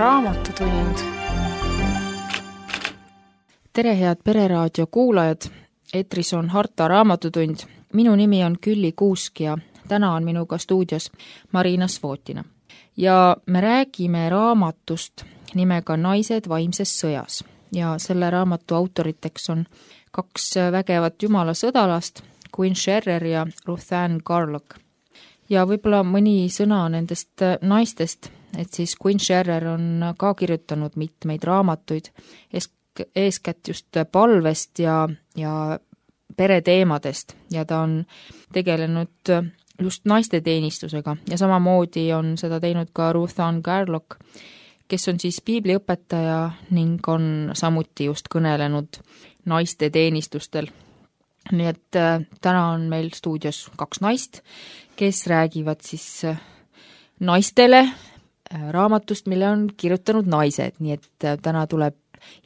Raamatutund. Tere, head Pereraadio kuulajad! Eetris on Harta Raamatutund. Minu nimi on Külli Kuusk ja täna on minuga stuudios Marina Svotina. Ja me räägime raamatust nimega Naised vaimses sõjas. Ja selle raamatu autoriteks on kaks vägevat jumala sõdalast, Queen Sherrer ja Ruth Ann Garlock. Ja võib-olla mõni sõna nendest naistest, et siis Queen Sherrer on ka kirjutanud mitmeid raamatuid, eeskätt just palvest ja pereteemadest ja ta on tegelenud just naiste teenistusega ja samamoodi on seda teinud ka Ruth Ann Garlock, kes on siis piibliõpetaja ning on samuti just kõnelenud naiste teenistustel. Nii et täna on meil stuudios kaks naist, kes räägivad siis naistele raamatust, mille on kirjutanud naised, nii et täna tuleb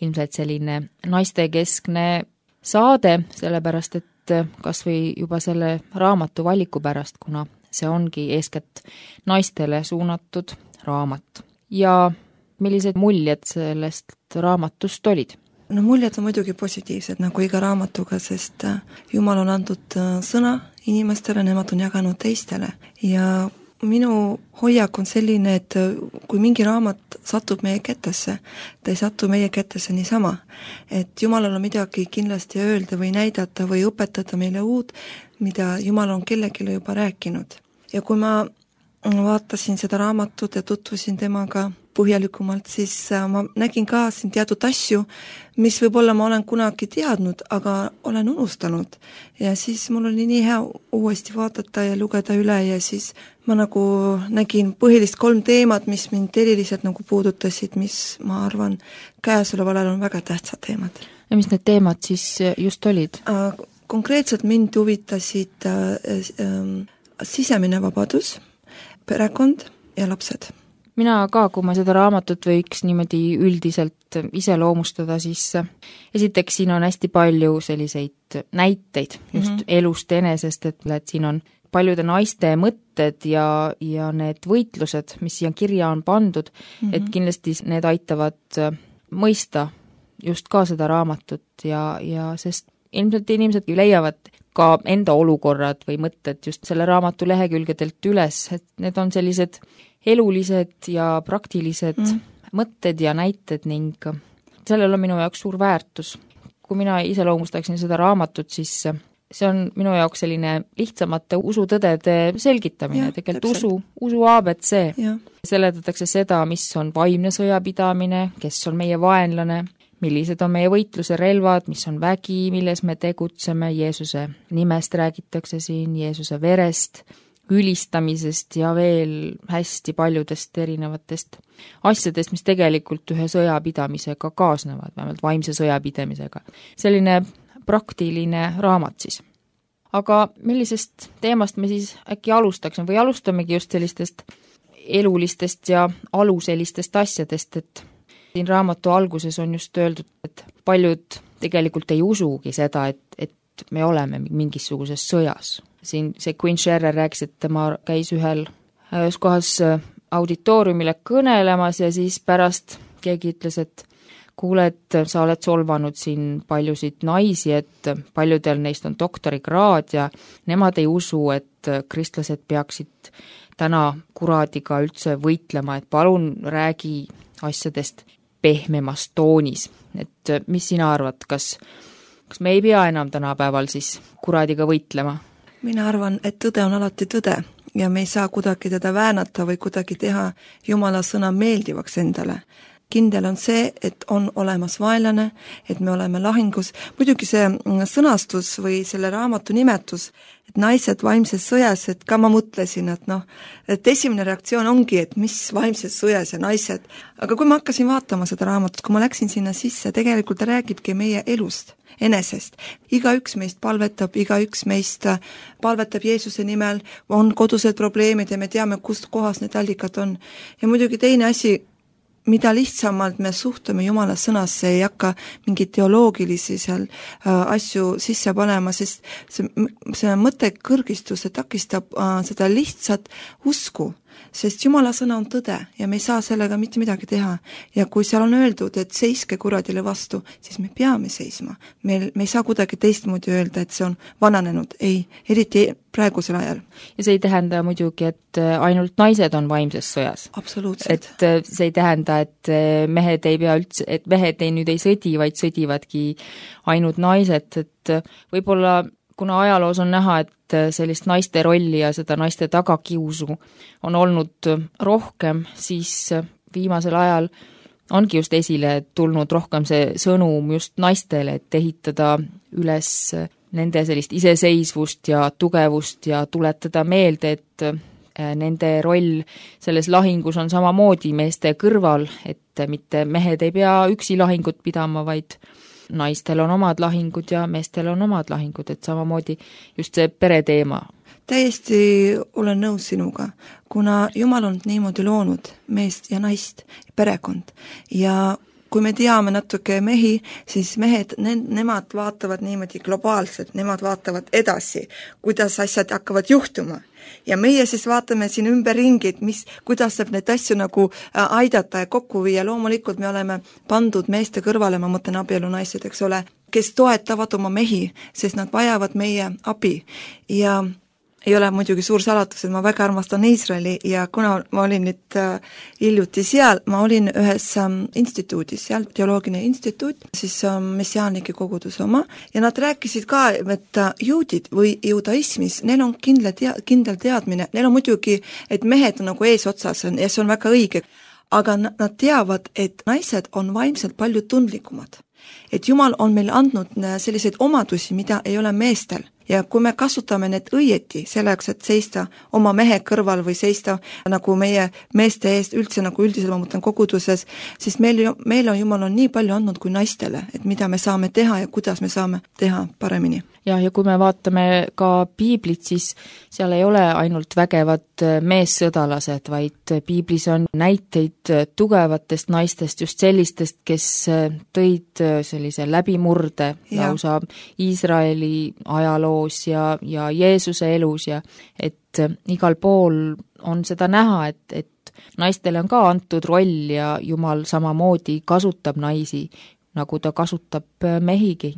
ilmselt selline naistekeskne saade, sellepärast et kas või juba selle raamatu valiku pärast, kuna see ongi eeskätt naistele suunatud raamat. Ja millised muljed sellest raamatust olid? No muljed on muidugi positiivsed, nagu iga raamatuga, sest Jumal on andnud sõna inimestele, nemad on jaganud teistele. Ja minu hoiak on selline, et kui mingi raamat satub meie kätesse, ta ei satu meie kätesse niisama. Et Jumalal on midagi kindlasti öelda või näidata või õpetada meile uut, mida Jumal on kellelegi juba rääkinud. Ja kui ma vaatasin seda raamatut ja tutvusin temaga põhjalikumalt, siis ma nägin ka siin teatud asju, mis võib-olla ma olen kunagi teadnud, aga olen unustanud. Ja siis mul oli nii hea uuesti vaadata ja lugeda üle ja siis ma nagu nägin põhilist 3 teemat, mis mind eriliselt nagu puudutasid, mis ma arvan käesoleval ajal on väga tähtsad teemad. Ja mis need teemad siis just olid? Konkreetselt mind huvitasid sisemine vabadus, perekond ja lapsed. Mina ka, kui ma seda raamatut võiks niimoodi üldiselt iseloomustada, siis esiteks siin on hästi palju selliseid näiteid just elust enesest, et siin on paljude naiste mõtted ja need võitlused, mis siia kirja on pandud, et kindlasti need aitavad mõista just ka seda raamatut ja sest ilmselt inimesed leiavad ka enda olukorrad või mõtted just selle raamatu lehekülgedelt üles, et need on sellised elulised ja praktilised mõtted ja näited ning sellel on minu jaoks suur väärtus. Kui mina iseloomustaksin seda raamatut, siis see on minu jaoks selline lihtsamate usutõdede selgitamine, tegelikult usu ABC. Seletatakse seda, mis on vaimne sõjapidamine, kes on meie vaenlane, millised on meie võitluse relvad, mis on vägi, milles me tegutseme, Jeesuse nimest räägitakse siin, Jeesuse verest, ülistamisest ja veel hästi paljudest erinevatest asjadest, mis tegelikult ühe sõjapidamisega kaasnevad, vähemalt vaimse sõjapidamisega. Selline praktiline raamat siis. Aga millisest teemast me siis äkki alustaksime või alustamegi just sellistest elulistest ja aluselistest asjadest, et siin raamatu alguses on just öeldud, et paljud tegelikult ei usugi seda, et me oleme mingisuguses sõjas. Siin see Queen Sherrer rääkis, et tema käis ühes kohas auditooriumile kõnelemas ja siis pärast keegi ütles, et kuule, et sa oled solvanud siin paljusid naisi, et paljudel neist on doktorikraad ja nemad ei usu, et kristlased peaksid täna kuraadiga üldse võitlema, et palun räägi asjadest pehmemas toonis. Et mis sina arvad, kas me ei pea enam tänapäeval siis kuraadiga võitlema? Mina arvan, et tõde on alati tõde ja me ei saa kuidagi teda väänata või kuidagi teha Jumala sõna meeldivaks endale. Kindel on see, et on olemas vaenlane, et me oleme lahingus. Muidugi see sõnastus või selle raamatu nimetus, et naised vaimses sõjas, et ka ma mõtlesin, et esimene reaktsioon ongi, et mis vaimses sõjas ja naised. Aga kui ma hakkasin vaatama seda raamatut, kui ma läksin sinna sisse, tegelikult ta räägibki meie elust, enesest. Igaüks meist palvetab, igaüks meist palvetab Jeesuse nimel, on kodused probleemid ja me teame, kust kohas need allikad on. Ja muidugi teine asi, mida lihtsamalt me suhtume Jumala sõnasse, ei hakka mingeid teoloogilisi seal asju sisse panema, sest see mõttekõrgistus takistab seda lihtsat usku. sest Jumala sõna on tõde ja me ei saa sellega mitte midagi teha. Ja kui seal on öeldud, et seiske kuradile vastu, siis me peame seisma. Me ei saa kuidagi teistmoodi öelda, et see on vananenud, ei, eriti praegusel ajal. Ja see ei tähenda muidugi, et ainult naised on vaimses sõjas. Absoluutselt. Et see ei tähenda, et mehed ei pea üldse, et mehed nüüd ei sõdi, vaid sõdivadki ainult naised, et võib-olla kuna ajaloos on näha, et sellist naiste rolli ja seda naiste tagakiusu on olnud rohkem, siis viimasel ajal ongi just esile tulnud rohkem see sõnum just naistele, et ehitada üles nende sellist iseseisvust ja tugevust ja tuletada meelde, et nende roll selles lahingus on samamoodi meeste kõrval, et mitte mehed ei pea üksi lahingut pidama, vaid naistel on omad lahingud ja meestel on omad lahingud, et samamoodi just see pereteema. Täiesti olen nõus sinuga, kuna Jumal on niimoodi loonud meest ja naist, perekond ja kui me teame natuke mehi, siis mehed, nemad vaatavad niimoodi globaalselt, nemad vaatavad edasi, kuidas asjad hakkavad juhtuma. Ja meie siis vaatame siin ümberringi, et kuidas saab neid asju nagu aidata ja kokku viia. Loomulikult me oleme pandud meeste kõrvale, ma mõtlen abielu naised, eks ole, kes toetavad oma mehi, sest nad vajavad meie abi ja ei ole muidugi suur salatus, et ma väga armastan Iisraeli ja kuna ma olin nüüd hiljuti seal, ma olin ühes instituudis, seal teoloogiline instituut, siis messiaanlike koguduse oma ja nad rääkisid ka, et juudid või judaismis, neil on kindel teadmine, neil on muidugi, et mehed on nagu eesotsas ja see on väga õige, aga nad teavad, et naised on vaimselt palju tundlikumad. Et Jumal on meil andnud selliseid omadusi, mida ei ole meestel. Ja kui me kasutame need õieti selleks, et seista oma mehe kõrval või seista nagu meie meeste eest üldse nagu üldiselt ma mõtlen koguduses, siis meil on Jumal on nii palju andnud kui naistele, et mida me saame teha ja kuidas me saame teha paremini. Ja kui me vaatame ka piiblit, siis seal ei ole ainult vägevad meessõdalased, vaid piiblis on näiteid tugevatest naistest, just sellistest, kes tõid sellise läbimurde lausa Iisraeli ajaloos ja Jeesuse elus ja et igal pool on seda näha, et naistele on ka antud roll ja Jumal samamoodi kasutab naisi, nagu ta kasutab mehigi.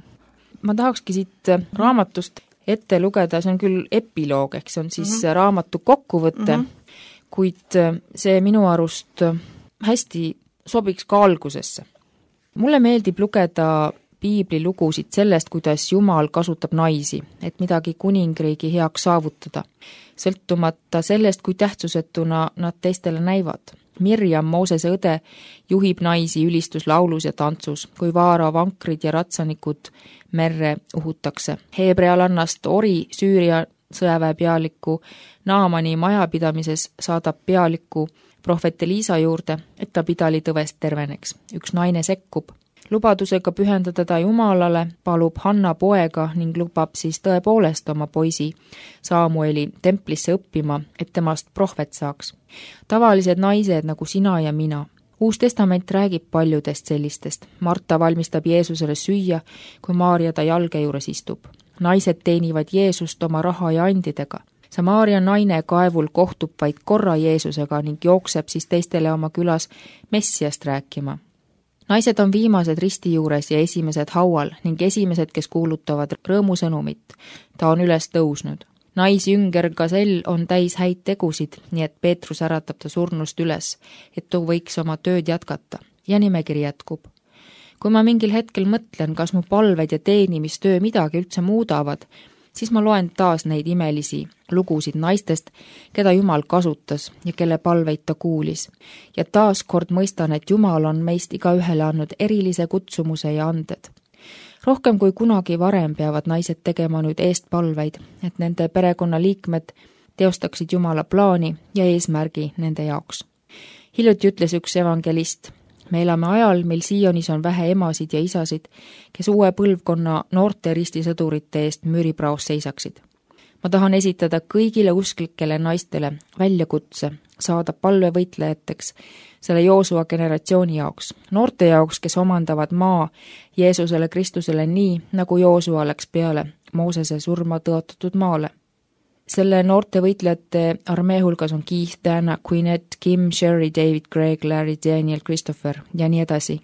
Ma tahakski siit raamatust ette lugeda, see on küll epiloog, ehk see on siis raamatu kokkuvõte, kuid see minu arust hästi sobiks ka algusesse. Mulle meeldib lugeda piibli lugusid sellest, kuidas Jumal kasutab naisi, et midagi kuningriigi heaks saavutada, sõltumata sellest, kui tähtsusetuna nad teistele näivad. Mirjam, Moosese õde, juhib naisi ülistuslaulus ja tantsus, kui vaara vankrid ja ratsanikud merre uhutakse. Heebrealannast Ori, Süüria sõjaväe pealiku Naamani majapidamises saadab pealiku prohvet Eliisa juurde, et ta pidali tõvest terveneks. Üks naine sekkub. Lubadusega pühendada ta Jumalale, palub Hanna poega ning lubab siis tõepoolest oma poisi Saamueli templisse õppima, et temast prohvet saaks. Tavalised naised nagu sina ja mina. Uus testament räägib paljudest sellistest. Marta valmistab Jeesusele süüa, kui Maaria ta jalge juures istub. Naised teenivad Jeesust oma raha ja andidega. Samaaria naine kaevul kohtub vaid korra Jeesusega ning jookseb siis teistele oma külas Messiast rääkima. Naised on viimased risti juures ja esimesed haual ning esimesed, kes kuulutavad rõõmusõnumit. Ta on üles tõusnud. Naisjünger Gazell on täis häid tegusid, nii et Peetrus äratab ta surnust üles, et ta võiks oma tööd jätkata. Ja nimekiri jätkub. Kui ma mingil hetkel mõtlen, kas mu palved ja teenimistöö midagi üldse muudavad, siis ma loen taas neid imelisi lugusid naistest, keda Jumal kasutas ja kelle palveid ta kuulis. Ja taas kord mõistan, et Jumal on meist igaühele andnud erilise kutsumuse ja anded. Rohkem kui kunagi varem peavad naised tegema nüüd eestpalveid, et nende perekonnaliikmed teostaksid Jumala plaani ja eesmärgi nende jaoks. Hiljuti ütles üks evangelist, me elame ajal, mil Sionis on vähe emasid ja isasid, kes uue põlvkonna noorte ristisõdurite eest müüripraos seisaksid. Ma tahan esitada kõigile usklikele naistele väljakutse saada palvevõitlejateks selle Joosua generatsiooni jaoks, noorte jaoks, kes omandavad maa Jeesusele Kristusele nii, nagu Joosua läks peale Moosese surma tõotatud maale. Selle noorte võitlejate armee hulgas on Keith, Dana, Quinette, Kim, Sherry, David, Greg, Larry, Daniel, Christopher ja nii edasi.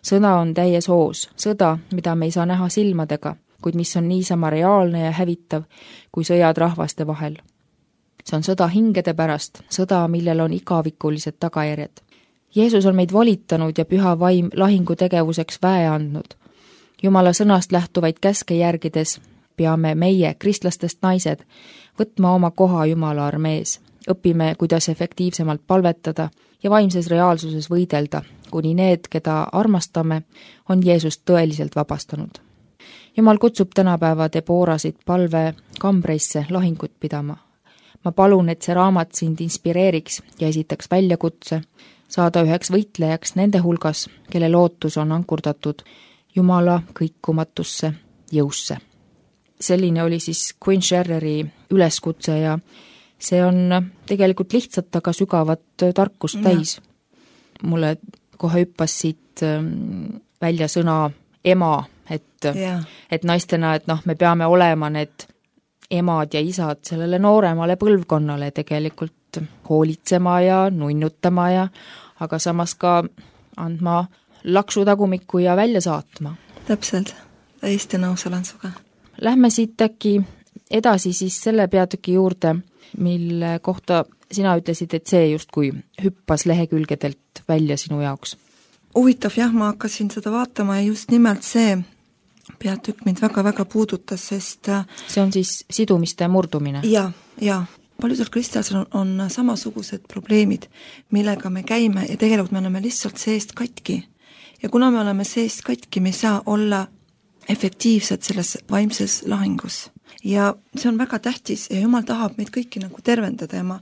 Sõda on täies hoos, sõda, mida me ei saa näha silmadega, kuid mis on niisama reaalne ja hävitav kui sõjad rahvaste vahel. See on sõda hingede pärast, sõda, millel on igavikulised tagajärjed. Jeesus on meid volitanud ja püha vaim lahingutegevuseks väe andnud. Jumala sõnast lähtuvaid käske järgides peame meie, kristlastest naised, võtma oma koha Jumala armees. Õpime, kuidas efektiivsemalt palvetada ja vaimses reaalsuses võidelda, kuni need, keda armastame, on Jeesust tõeliselt vabastanud. Jumal kutsub tänapäeva Deboorasid palve kambreisse lahingut pidama. Ma palun, et see raamat sind inspireeriks ja esitaks väljakutse, saada üheks võitlejaks nende hulgas, kelle lootus on ankurdatud Jumala kõikumatusse jõusse. Selline oli siis Queen Sherreri üleskutse ja see on tegelikult lihtsalt, aga sügavat tarkust täis. Mulle kohe hüppas siit välja sõna ema, et naistena, et me peame olema need emad ja isad sellele nooremale põlvkonnale tegelikult hoolitsema ja nunnutama ja aga samas ka andma laksutagumikku ja välja saatma. Täpselt, täiesti nõus olen suga. Lähme siit äkki edasi siis selle peatüki juurde, mille kohta sina ütlesid, et see justkui hüppas lehekülgedelt välja sinu jaoks. Huvitav jah, ma hakkasin seda vaatama ja just nimelt see peatükk mind väga-väga puudutas, sest see on siis sidumiste murdumine. Ja paljudel kristlasel on samasugused probleemid, millega me käime ja tegelikult me oleme lihtsalt seest katki. Ja kuna me oleme seest katki, me ei saa olla efektiivsed selles vaimses lahingus. Ja see on väga tähtis ja Jumal tahab meid kõiki nagu tervendada ja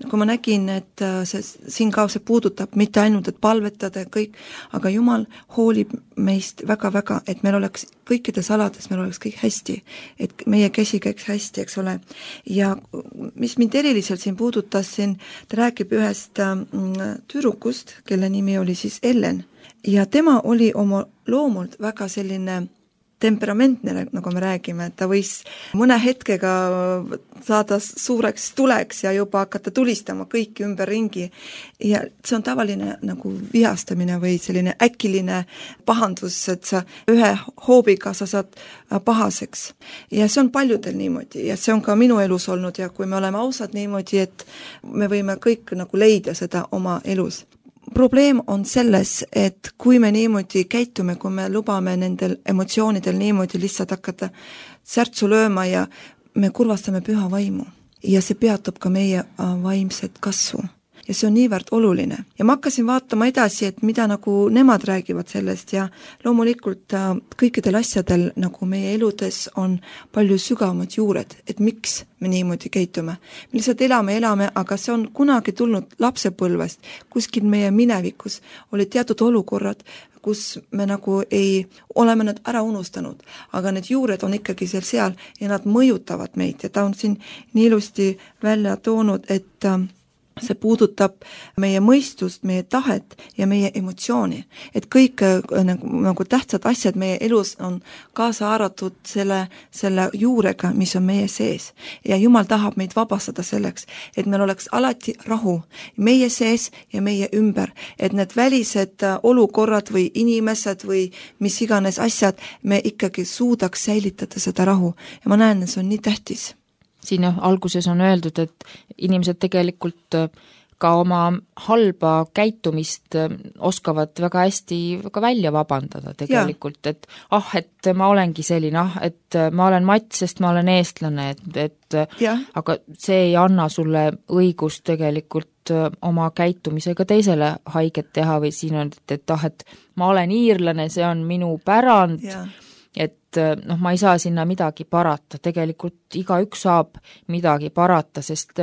kui ma nägin, et siin ka see puudutab mitte ainult, et palvetada ja kõik, aga Jumal hoolib meist väga-väga, et meil oleks kõikides alades, meil oleks kõik hästi, et meie käsi käiks hästi, eks ole. Ja mis mind eriliselt siin puudutas, ta räägib ühest tüdrukust, kelle nimi oli siis Ellen ja tema oli oma loomult väga selline temperamentne, nagu me räägime, et ta võis mõne hetkega saada suureks tuleks ja juba hakata tulistama kõiki ümber ringi. Ja see on tavaline nagu vihastamine või selline äkiline pahandus, et sa ühe hoobiga sa saad pahaseks. Ja see on paljudel niimoodi ja see on ka minu elus olnud ja kui me oleme ausad niimoodi, et me võime kõik nagu leida seda oma elus. Probleem on selles, et kui me niimoodi käitume, kui me lubame nendel emotsioonidel niimoodi lihtsalt hakata särtsu lööma ja me kurvastame püha vaimu ja see peatab ka meie vaimset kasvu. Ja see on niivõrd oluline. Ja ma hakkasin vaatama edasi, et mida nagu nemad räägivad sellest ja loomulikult kõikidel asjadel nagu meie eludes on palju sügavamad juured, et miks me niimoodi käitume. Me lihtsalt elame, aga see on kunagi tulnud lapsepõlvest, kuskil meie minevikus oli teatud olukorrad, kus me nagu oleme nad ära unustanud, aga need juured on ikkagi seal ja nad mõjutavad meid ja ta on siin nii ilusti välja toonud, et see puudutab meie mõistust, meie tahet ja meie emotsiooni. Et kõik nagu tähtsad asjad meie elus on kaasa haaratud selle juurega, mis on meie sees. Ja Jumal tahab meid vabastada selleks, et meil oleks alati rahu meie sees ja meie ümber. Et need välised olukorrad või inimesed või mis iganes asjad, me ikkagi suudaks säilitada seda rahu. Ja ma näen, et see on nii tähtis. Siin alguses on öeldud, et inimesed tegelikult ka oma halba käitumist oskavad väga hästi väga välja vabandada tegelikult, et ma olengi selline, et ma olen Mats, sest ma olen eestlane, aga see ei anna sulle õigust tegelikult oma käitumisega teisele haiget teha või siin on, et ma olen iirlane, see on minu pärand, et ma ei saa sinna midagi parata, tegelikult igaüks saab midagi parata, sest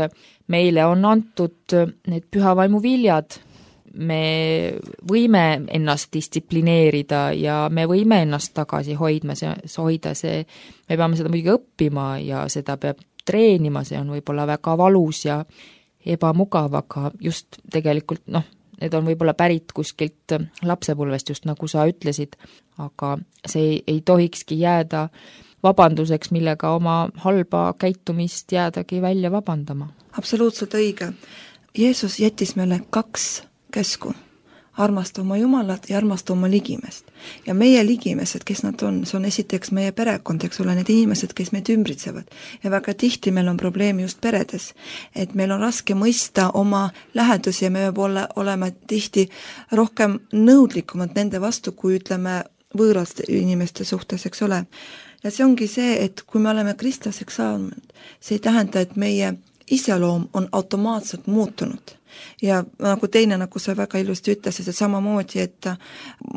meile on antud need pühavaimu viljad, me võime ennast distsiplineerida ja me võime ennast tagasi hoida, me peame seda muidugi õppima ja seda peab treenima, see on võib-olla väga valus ja ebamugav, aga just tegelikult need on võib-olla pärit kuskilt lapsepõlvest, just nagu sa ütlesid, aga see ei tohikski jääda vabanduseks, millega oma halba käitumist jäädagi välja vabandama. Absoluutselt õige. Jeesus jättis meile 2 käsku. Armasta oma Jumalat ja armasta oma ligimest. Ja meie ligimesed, kes nad on, see on esiteks meie perekond, eks ole, need inimesed, kes meid ümbritsevad. Ja väga tihti meil on probleemi just peredes, et meil on raske mõista oma lähedusi ja me oleme tihti rohkem nõudlikumad nende vastu, kui ütleme võõraste inimeste suhtes, eks ole. Ja see ongi see, et kui me oleme kristlaseks saanud, see ei tähenda, et meie iseloom on automaatselt muutunud. Ja nagu teine, nagu sa väga ilusti ütlesid, et samamoodi, et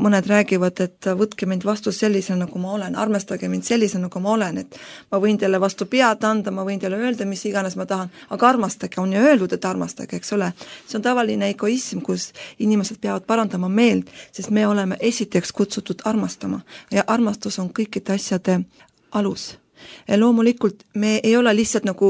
mõned räägivad, et võtke mind vastu sellisena, nagu ma olen, armastage mind sellisena, nagu ma olen, et ma võin teile vastu pead anda, ma võin teile öelda, mis iganes ma tahan, aga armastage, on ju öeldud, et armastage, eks ole. See on tavaline egoism, kus inimesed peavad parandama meelt, sest me oleme esiteks kutsutud armastama ja armastus on kõikide asjade alus. Ja loomulikult me ei ole lihtsalt nagu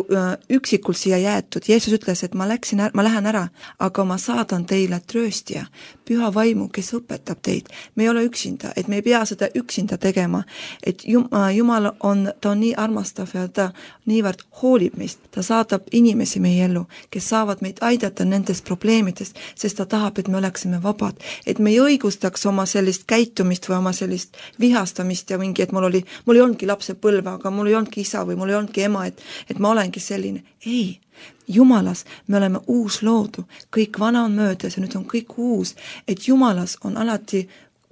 üksikult siia jäetud. Jeesus ütles, et ma lähen ära, aga ma saadan teile trööstija, püha vaimu, kes õpetab teid. Me ei ole üksinda, et me ei pea seda üksinda tegema. Et Jumal ta on nii armastav ja ta niivõrd hoolib meist. Ta saadab inimesi meie ellu, kes saavad meid aidata nendest probleemidest, sest ta tahab, et me oleksime vabad. Et me ei õigustaks oma sellist käitumist või oma sellist vihastamist ja mingi, et mul ei olnudki lapsepõlve, aga mul ei olnudki isa või mul ei olnudki ema, et ma olengi selline. Ei, Jumalas me oleme uus loodu, kõik vana on möödas ja nüüd on kõik uus, et Jumalas on alati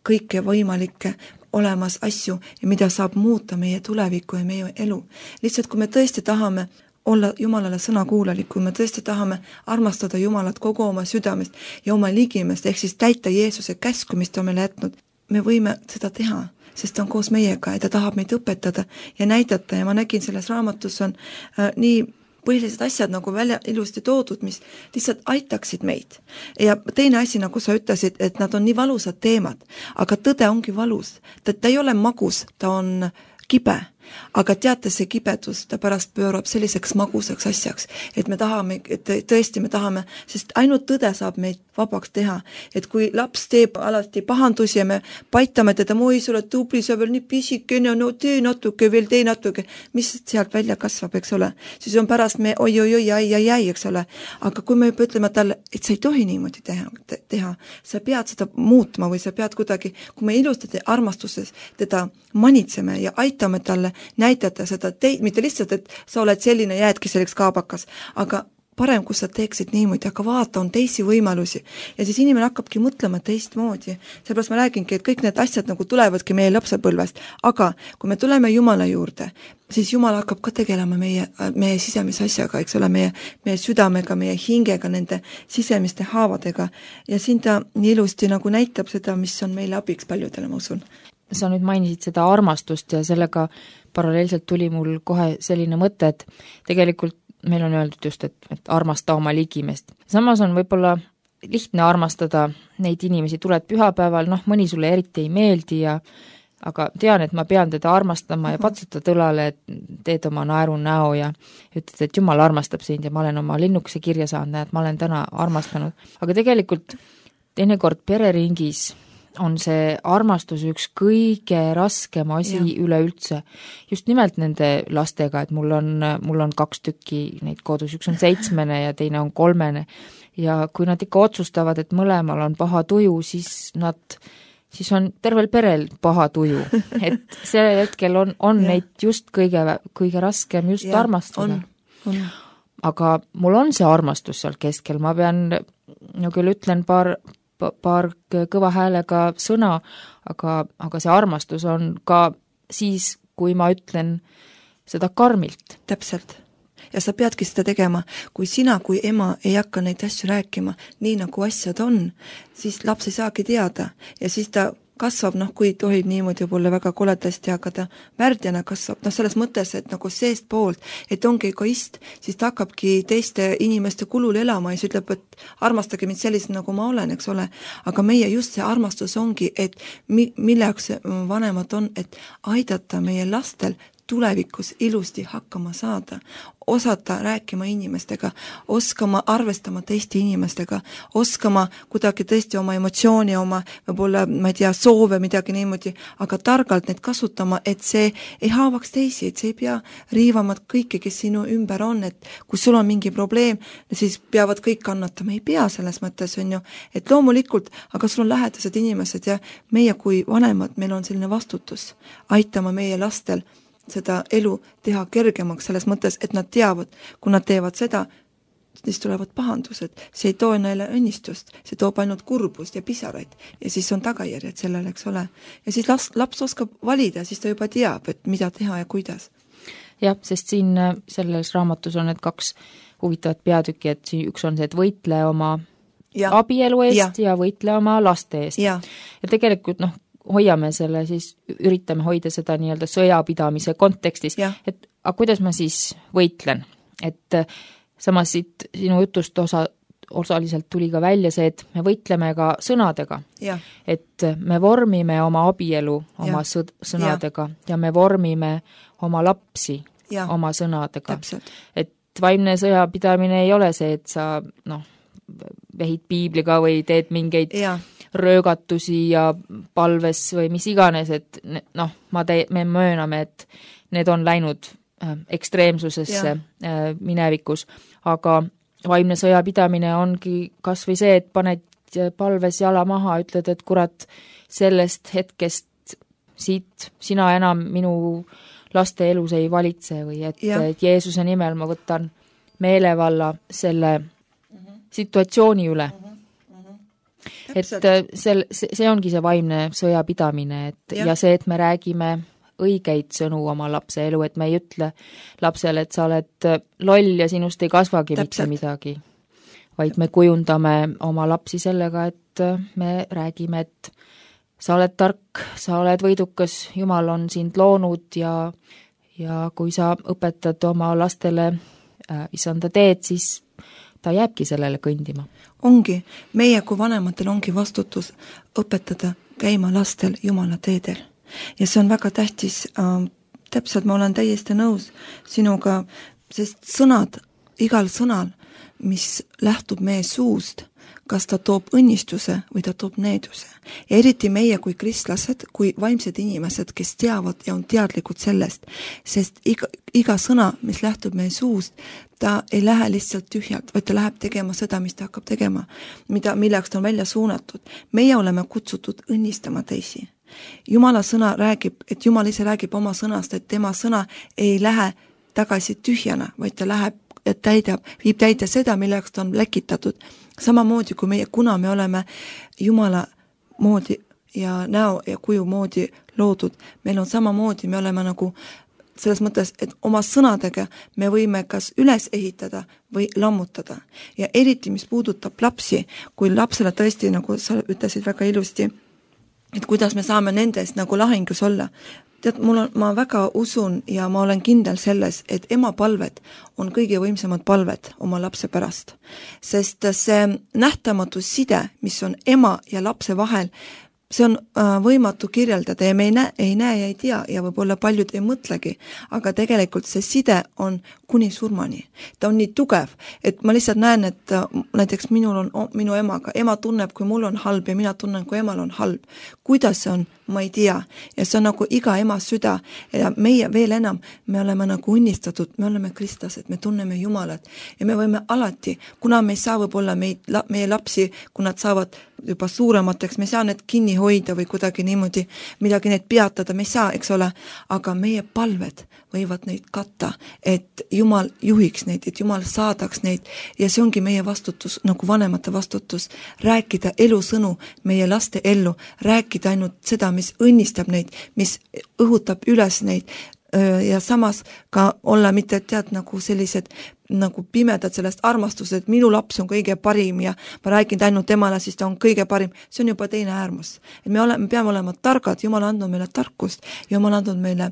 kõike võimalikke olemas asju ja mida saab muuta meie tulevikku ja meie elu. Lihtsalt kui me tõesti tahame olla Jumalale sõnakuulelik, kui me tõesti tahame armastada Jumalat kogu oma südamest ja oma ligimest, ehk siis täita Jeesuse käsku, mis ta on meile jätnud, me võime seda teha, sest ta on koos meiega ja ta tahab meid õpetada ja näidata ja ma nägin selles raamatus on nii põhilised asjad nagu välja ilusti toodud, mis lihtsalt aitaksid meid. Ja teine asi, nagu sa ütlesid, et nad on nii valusad teemad, aga tõde ongi valus. Ta ei ole magus, ta on kibe. Aga teate, see kibedus, ta pärast pöörab selliseks magusaks asjaks, et me tahame, et tõesti me tahame, sest ainult tõde saab meid vabaks teha. Et kui laps teeb alati pahandusi ja me paitame teda, oi, sa oled tubli, sa veel nii pisikene, no tee natuke, mis sealt välja kasvab, eks ole. Siis on pärast me oi, ai, eks ole. Aga kui me juba ütleme talle, et sa ei tohi niimoodi teha, sa pead seda muutma või sa pead kuidagi, kui me ilusti armastuses teda manitseme ja aitame talle näidata seda mitte lihtsalt, et sa oled selline, jäädki selleks kaabakas, aga parem, kui sa teeksid niimoodi, aga vaata, on teisi võimalusi. Ja siis inimene hakkabki mõtlema teistmoodi. Seepärast ma räägingi, et kõik need asjad nagu tulevadki meie lapsepõlvest, aga kui me tuleme Jumala juurde, siis Jumal hakkab ka tegelema meie sisemise asjaga, eks ole, meie südamega, meie hingega, nende sisemiste haavadega ja siin ta nii ilusti nagu näitab seda, mis on meile abiks paljudele, ma usun. Sa nüüd mainisid seda armastust ja sellega paralleelselt tuli mul kohe selline mõte, et tegelikult meil on öeldud just, et armasta oma ligimest. Samas on võib-olla lihtne armastada neid inimesi, tuled pühapäeval, mõni sulle eriti ei meeldi aga tean, et ma pean teda armastama ja patsutad õlale, et teed oma naeru näo ja ütled, et Jumal armastab sind ja ma olen oma linnukese kirja saanud, näed, ma olen täna armastanud. Aga tegelikult teinekord pereringis on see armastus üks kõige raskem asi üleüldse. Just nimelt nende lastega, et mul on 2 tükki neid kodus, üks on 7 ja teine on 3 ja kui nad ikka otsustavad, et mõlemal on paha tuju, siis on tervel perel paha tuju. Et see hetkel on neid just kõige raskem just armastada. Aga mul on see armastus seal keskel, ma pean, küll ütlen paar kõva häälega sõna, aga see armastus on ka siis, kui ma ütlen seda karmilt. Täpselt. Ja sa peadki seda tegema. Kui sina kui ema ei hakka neid asju rääkima nii, nagu asjad on, siis laps ei saagi teada ja siis ta kasvab, kui tohib niimoodi võib-olla väga koledasti, aga ta värdjana kasvab, selles mõttes, et nagu seest poolt, et ongi egoist, siis ta hakkabki teiste inimeste kulul elama ja siis ütleb, et armastage mind sellisena, nagu ma olen, eks ole. Aga meie just see armastus ongi, et milleks vanemad on, et aidata meie lastel tulevikus ilusti hakkama saada, osata rääkima inimestega, oskama arvestama teiste inimestega, oskama kuidagi tõesti oma emotsiooni, oma võib-olla, ma ei tea, soove, midagi niimoodi, aga targalt neid kasutama, et see ei haavaks teisi, et see ei pea riivama kõike, kes sinu ümber on, et kui sul on mingi probleem, siis peavad kõik kannatama, ei pea selles mõttes, on ju, et loomulikult, aga sul on lähedased inimesed ja meie kui vanemad, meil on selline vastutus aitama meie lastel seda elu teha kergemaks selles mõttes, et nad teavad, kui nad teevad seda, siis tulevad pahandused, see ei too neile õnnistust, see toob ainult kurbust ja pisaraid ja siis on tagajärjed sellele, eks ole. Ja siis laps oskab valida, siis ta juba teab, et mida teha ja kuidas. Jah, sest siin selles raamatus on need 2 huvitavat peatükki, et siin üks on see, et võitle oma abielu eest ja võitle oma laste eest. Ja tegelikult hoiame selle siis, üritame hoida seda nii-öelda sõjapidamise kontekstis, et aga kuidas ma siis võitlen, et samas siit sinu jutust osaliselt tuli ka välja see, et me võitleme ka sõnadega, et me vormime oma abielu oma sõnadega ja me vormime oma lapsi oma sõnadega. Et vaimne sõjapidamine ei ole see, et sa vehid piibliga või teed mingeid röögatusi ja palves või mis iganes, et me mööname, et need on läinud ekstreemsusesse minevikus, aga vaimne sõjapidamine ongi kas või see, et paned palves jala maha, ütled, et kurat, sellest hetkest siit sina enam minu laste elus ei valitse või et Jeesuse nimel ma võtan meelevalla selle situatsiooni üle. Et see ongi see vaimne sõjapidamine, et ja see, et me räägime õigeid sõnu oma lapse elu, et me ei ütle lapsele, et sa oled loll ja sinust ei kasvagi mitte midagi, vaid me kujundame oma lapsi sellega, et me räägime, et sa oled tark, sa oled võidukas, Jumal on sind loonud ja kui sa õpetad oma lastele issanda teed, siis ta jääbki sellele kõndima. Ongi, meie kui vanematel ongi vastutus õpetada käima lastel Jumala teedel. Ja see on väga tähtis, täpselt ma olen täiesti nõus sinuga, sest sõnad, igal sõnal, mis lähtub meie suust, kas ta toob õnnistuse või ta toob needuse. Ja eriti meie kui kristlased, kui vaimsed inimesed, kes teavad ja on teadlikud sellest, sest iga sõna, mis lähtub meie suust, ta ei lähe lihtsalt tühjalt, vaid ta läheb tegema seda, mis ta hakkab tegema, milleks ta on välja suunatud. Meie oleme kutsutud õnnistama teisi. Jumala sõna räägib, et Jumal ise räägib oma sõnast, et tema sõna ei lähe tagasi tühjana, vaid ta läheb viib täide seda, milleks ta on läkitatud. Samamoodi kui meie, kuna me oleme Jumala moodi ja näo ja kuju moodi loodud, meil on samamoodi, me oleme nagu selles mõttes, et oma sõnadega me võime kas üles ehitada või lammutada. Ja eriti, mis puudutab lapsi, kui lapsele tõesti, nagu sa ütlesid väga ilusti, et kuidas me saame nendest nagu lahingus olla. Tead, ma väga usun ja ma olen kindel selles, et ema palved on kõige võimsamad palved oma lapse pärast. Sest see nähtamatu side, mis on ema ja lapse vahel, see on võimatu kirjeldada ja me ei näe ja ei tea ja võib-olla paljud ei mõtlegi, aga tegelikult see side on kuni surmani. Ta on nii tugev, et ma lihtsalt näen, et näiteks minul on minu emaga, ema tunneb, kui mul on halb ja mina tunnen, kui emal on halb. Kuidas see on, ma ei tea. Ja see on nagu iga ema süda ja meie veel enam, me oleme nagu õnnistatud, me oleme kristlased, me tunneme Jumalat ja me võime alati, kuna me ei saa võib-olla meie lapsi, kui nad saavad juba suuremateks, me ei saa need kinni hoida või kuidagi niimoodi midagi neid peatada, me ei saa, eks ole, aga meie palved võivad neid katta, et Jumal juhiks neid, et Jumal saadaks neid ja see ongi meie vastutus, nagu vanemate vastutus, rääkida elusõnu meie laste ellu, rääkida ainult seda, mis õnnistab neid, mis õhutab üles neid ja samas ka olla mitte tead nagu sellised nagu pimedad sellest armastused, et minu laps on kõige parim ja ma räägin ainult temale, siis ta on kõige parim. See on juba teine äärmus. Et me peame olema targad, Jumal on andnud meile tarkust ja Jumal on andnud meile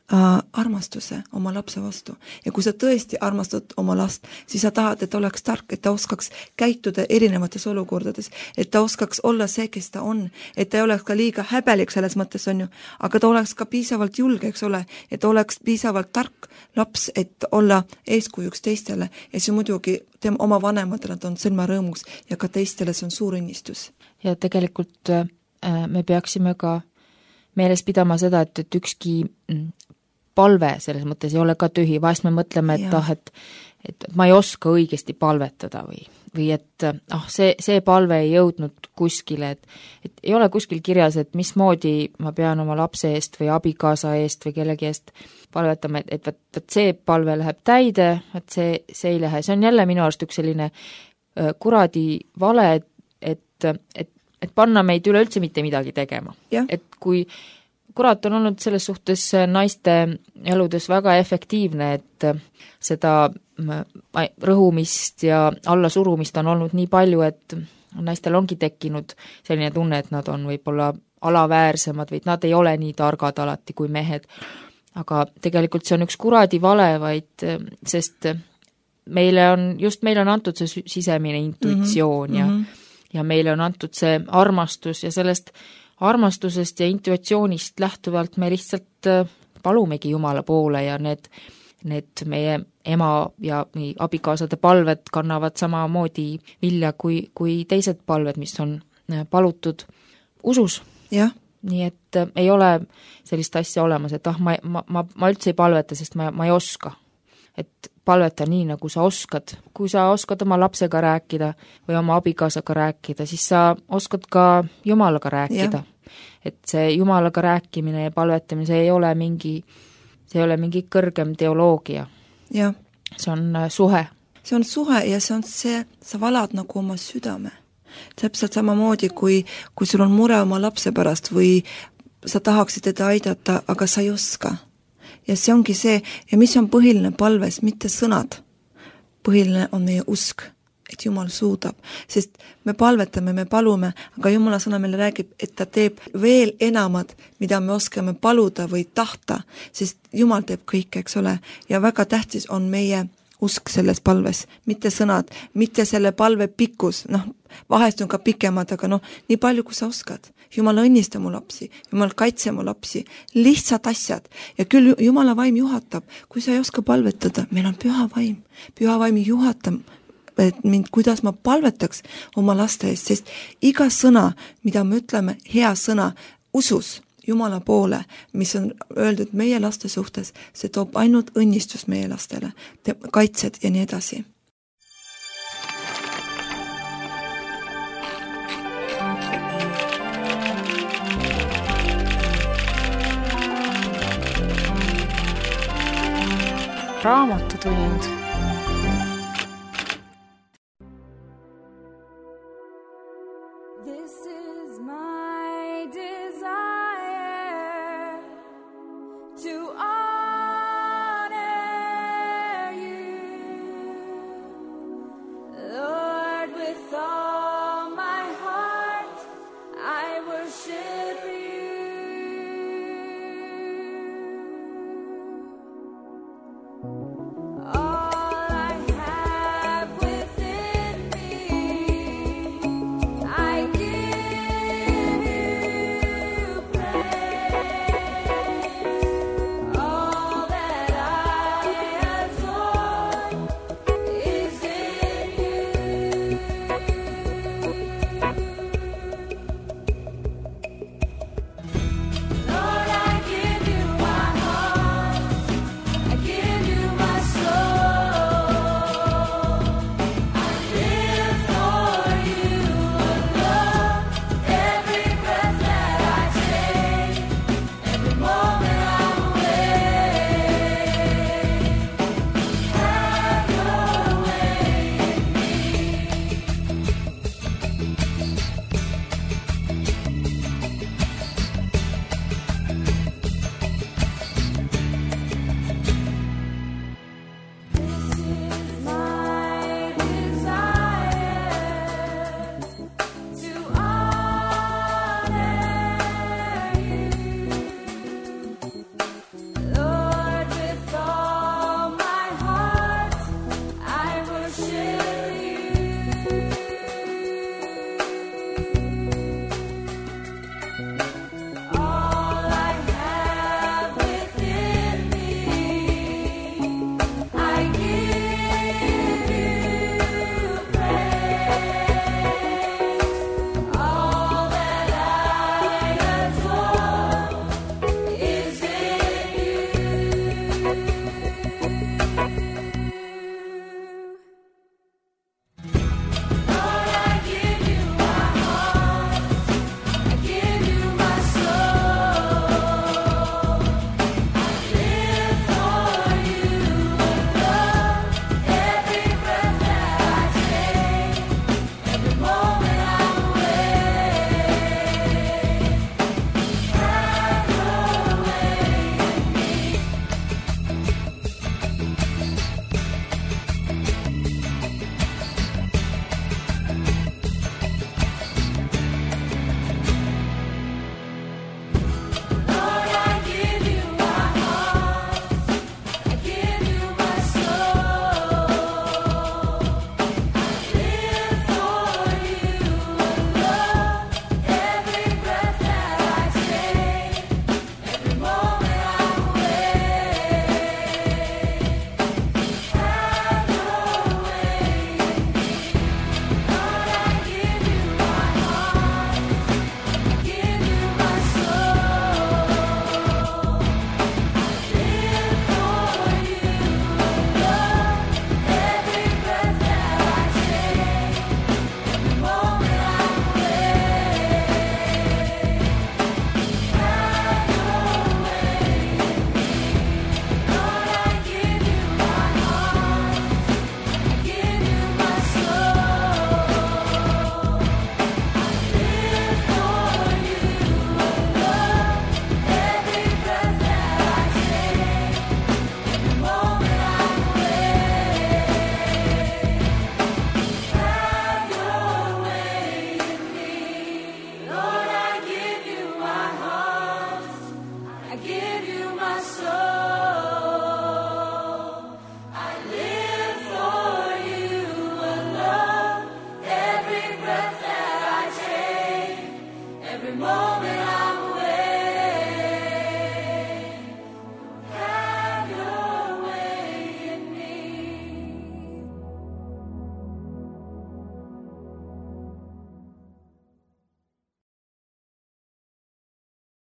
armastuse oma lapse vastu. Ja kui sa tõesti armastad oma last, siis sa tahad, et ta oleks tark, et ta oskaks käituda erinevates olukordades, et ta oskaks olla see, kes ta on, et ta ei oleks ka liiga häbelik selles mõttes, on ju, aga ta oleks ka piisavalt julge, eks ole, et oleks piisavalt tark laps, et olla eeskujuks teistele ja see muidugi oma vanematele on sõlmarõõmuks ja ka teistele see on suur õnnistus. Ja tegelikult me peaksime ka meeles pidama seda, et ükski palve selles mõttes ei ole ka tühi, vahest me mõtleme, et et ma ei oska õigesti palvetada või et see palve ei jõudnud kuskile, et ei ole kuskil kirjas, et mismoodi ma pean oma lapse eest või abikaasa eest või kellegi eest palvetama, et see palve läheb täide, et see ei lähe. See on jälle minu arust üks selline kuradi vale, et panna meid üleüldse mitte midagi tegema. Et kui kurat on olnud selles suhtes naiste eludes väga efektiivne, et seda rõhumist ja allasurumist on olnud nii palju, et naistel ongi tekkinud selline tunne, et nad on võib-olla alaväärsemad või nad ei ole nii targad alati kui mehed. Aga tegelikult see on üks kuradi vale, vaid sest meile on antud see sisemine intuitsioon ja meile on antud see armastus ja sellest armastusest ja intuitsioonist lähtuvalt me lihtsalt palumegi Jumala poole ja need meie ema ja abikaasade palved kannavad samamoodi vilja kui teised palved, mis on palutud usus. Jah. Nii et ei ole sellist asja olemas, et ma üldse ei palveta, sest ma ei oska. Et palveta nii, nagu sa oskad. Kui sa oskad oma lapsega rääkida või oma abikaasaga rääkida, siis sa oskad ka Jumalaga rääkida. Ja. Et see Jumalaga rääkimine ja palvetamine, see ei ole mingi kõrgem teoloogia. Ja. See on suhe. See on suhe ja see on see, sa valad nagu oma südame. Täpselt samamoodi, kui sul on mure oma lapse pärast või sa tahaksid teda aidata, aga sa ei oska. Ja see ongi see, ja mis on põhiline palves, mitte sõnad. Põhiline on meie usk, et Jumal suudab. Sest me palvetame, me palume, aga Jumala sõna meile räägib, et ta teeb veel enamad, mida me oskame paluda või tahta, sest Jumal teeb kõike, eks ole. Ja väga tähtis on meie usk selles palves, mitte sõnad, mitte selle palve pikkus, vahest on ka pikemad, aga nii palju, kui sa oskad. Jumal õnnista mu lapsi, Jumal kaitse mu lapsi, lihtsad asjad. Ja küll Jumala vaim juhatab, kui sa ei oska palvetada, meil on püha vaim. Püha vaim juhatab mind, kuidas ma palvetaks oma laste eest, sest iga sõna, mida me ütleme, hea sõna, usus Jumala poole, mis on öeldud meie laste suhtes, see toob ainult õnnistus meie lastele, kaitsed ja nii edasi. Raamatutund. Oh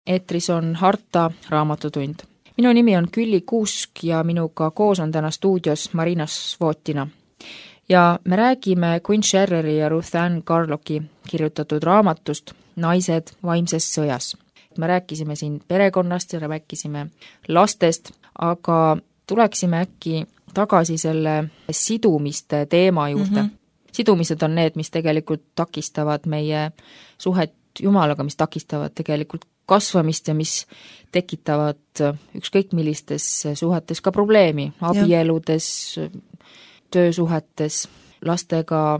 eetris on Harta raamatutund. Minu nimi on Külli Kuusk ja minuga koos on täna stuudios Marina Svotina. Ja me räägime Quinn Scherreri ja Ruth Ann Carlocki kirjutatud raamatust Naised vaimses sõjas. Me rääkisime siin perekonnast ja rääkisime lastest, aga tuleksime äkki tagasi selle sidumiste teema juurde. Sidumised on need, mis tegelikult takistavad meie suhet Jumalaga, mis takistavad tegelikult kasvamist ja mis tekitavad ükskõik millistes suhetes ka probleemi, abieludes, töösuhetes, lastega,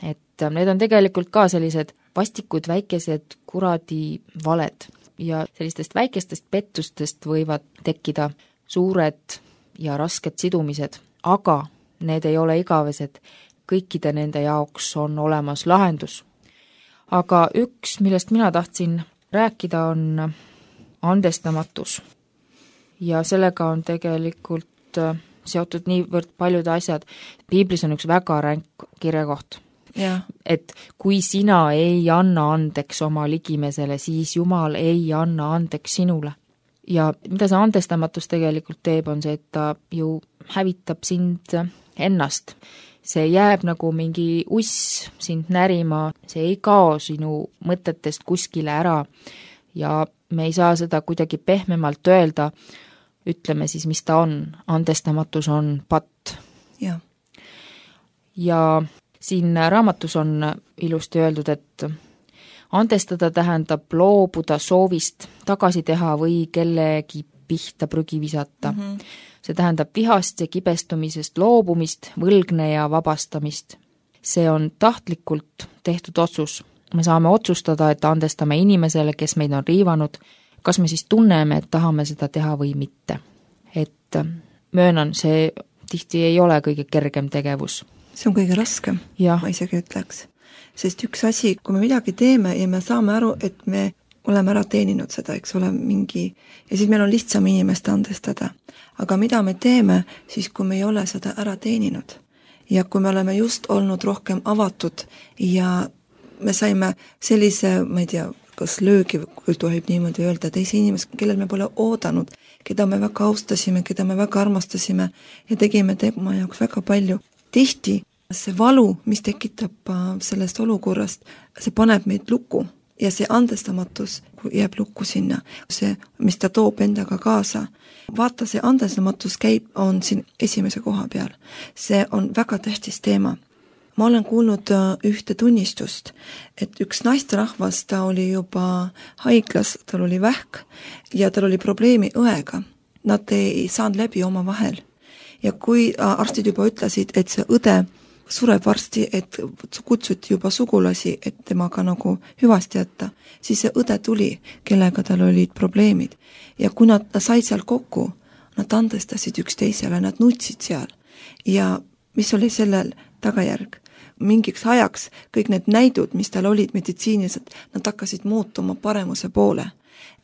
et need on tegelikult ka sellised vastikud väikesed kuradi valed ja sellistest väikestest pettustest võivad tekkida suured ja rasked sidumised, aga need ei ole igavesed, kõikide nende jaoks on olemas lahendus. Aga üks, millest mina tahtsin rääkida, on andestamatus. Ja sellega on tegelikult seotud niivõrd paljud asjad. Piiblis on üks väga ränk kirjakoht. Et kui sina ei anna andeks oma ligimesele, siis Jumal ei anna andeks sinule. Ja mida see andestamatus tegelikult teeb, on see, et ta ju hävitab sind ennast. See jääb nagu mingi uss sind närima, see ei kao sinu mõtetest kuskile ära ja me ei saa seda kuidagi pehmemalt öelda, ütleme siis, mis ta on. Andestamatus on patt. Ja siin raamatus on ilusti öeldud, et andestada tähendab loobuda soovist tagasi teha või kellegi pihta prügi visata. See tähendab vihast ja kibestumisest loobumist, võlgne ja vabastamist. See on tahtlikult tehtud otsus. Me saame otsustada, et andestame inimesele, kes meid on riivanud, kas me siis tunneme, et tahame seda teha või mitte. Et möönan, see tihti ei ole kõige kergem tegevus. See on kõige raskem, ma isegi ütleks. Sest üks asi, kui me midagi teeme ja me saame aru, et me oleme ära teeninud seda, eks ole, mingi, ja siis meil on lihtsam inimest andestada. Aga mida me teeme, siis kui me ei ole seda ära teeninud ja kui me oleme just olnud rohkem avatud ja me saime sellise, ma ei tea, kas löögi, kui tohib niimoodi öelda, teise inimest, kellel me pole oodanud, keda me väga austasime, keda me väga armastasime ja tegime tema jaoks väga palju. Tihti see valu, mis tekitab sellest olukorrast, see paneb meid lukku. Ja see andestamatus jääb lukku sinna, see, mis ta toob endaga kaasa. Vaata, see andestamatus on siin esimese koha peal. See on väga tähtis teema. Ma olen kuulnud ühte tunnistust, et üks naisterahvas, ta oli juba haiglas, tal oli vähk ja tal oli probleemi õega. Nad ei saanud läbi oma vahel. Ja kui arstid juba ütlesid, et see õde sureb varsti, et kutsuti juba sugulasi, et temaga nagu hüvasti jätta, siis see õde tuli, kellega tal olid probleemid. Ja kui nad said seal kokku, nad andestasid üksteisele, nad nutsid seal. Ja mis oli sellel tagajärg? Mingiks ajaks kõik need näidud, mis tal olid meditsiinilised, nad hakkasid muutuma paremuse poole.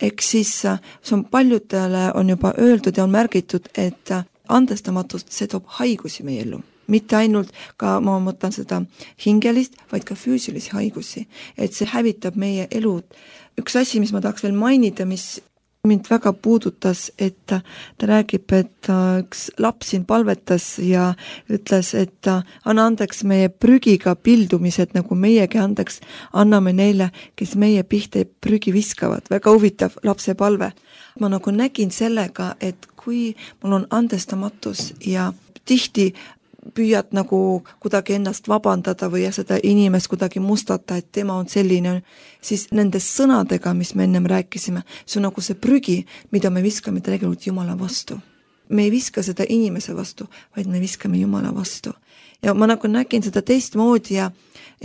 Ehk siis see on paljudele on juba öeldud ja on märgitud, et andestamatust see toob haigusi meie ellu. Mitte ainult ka, ma mõtlen seda hingelist, vaid ka füüsilisi haigusi. Et see hävitab meie elud. Üks asi, mis ma tahaks veel mainida, mis mind väga puudutas, et ta räägib, et üks laps siin palvetas ja ütles, et anna andeks meie prügiga pildumised, nagu meiegi andeks anname neile, kes meie pihta prügi viskavad. Väga huvitav lapse palve. Ma nagu nägin sellega, et kui mul on andestamatus ja tihti püüad nagu kuidagi ennast vabandada või seda inimest kuidagi mustata, et tema on selline, siis nendes sõnadega, mis me ennem rääkisime, see on nagu see prügi, mida me viskame tegelikult Jumala vastu. Me ei viska seda inimese vastu, vaid me viskame Jumala vastu. Ja ma nagu nägin seda teistmoodi ja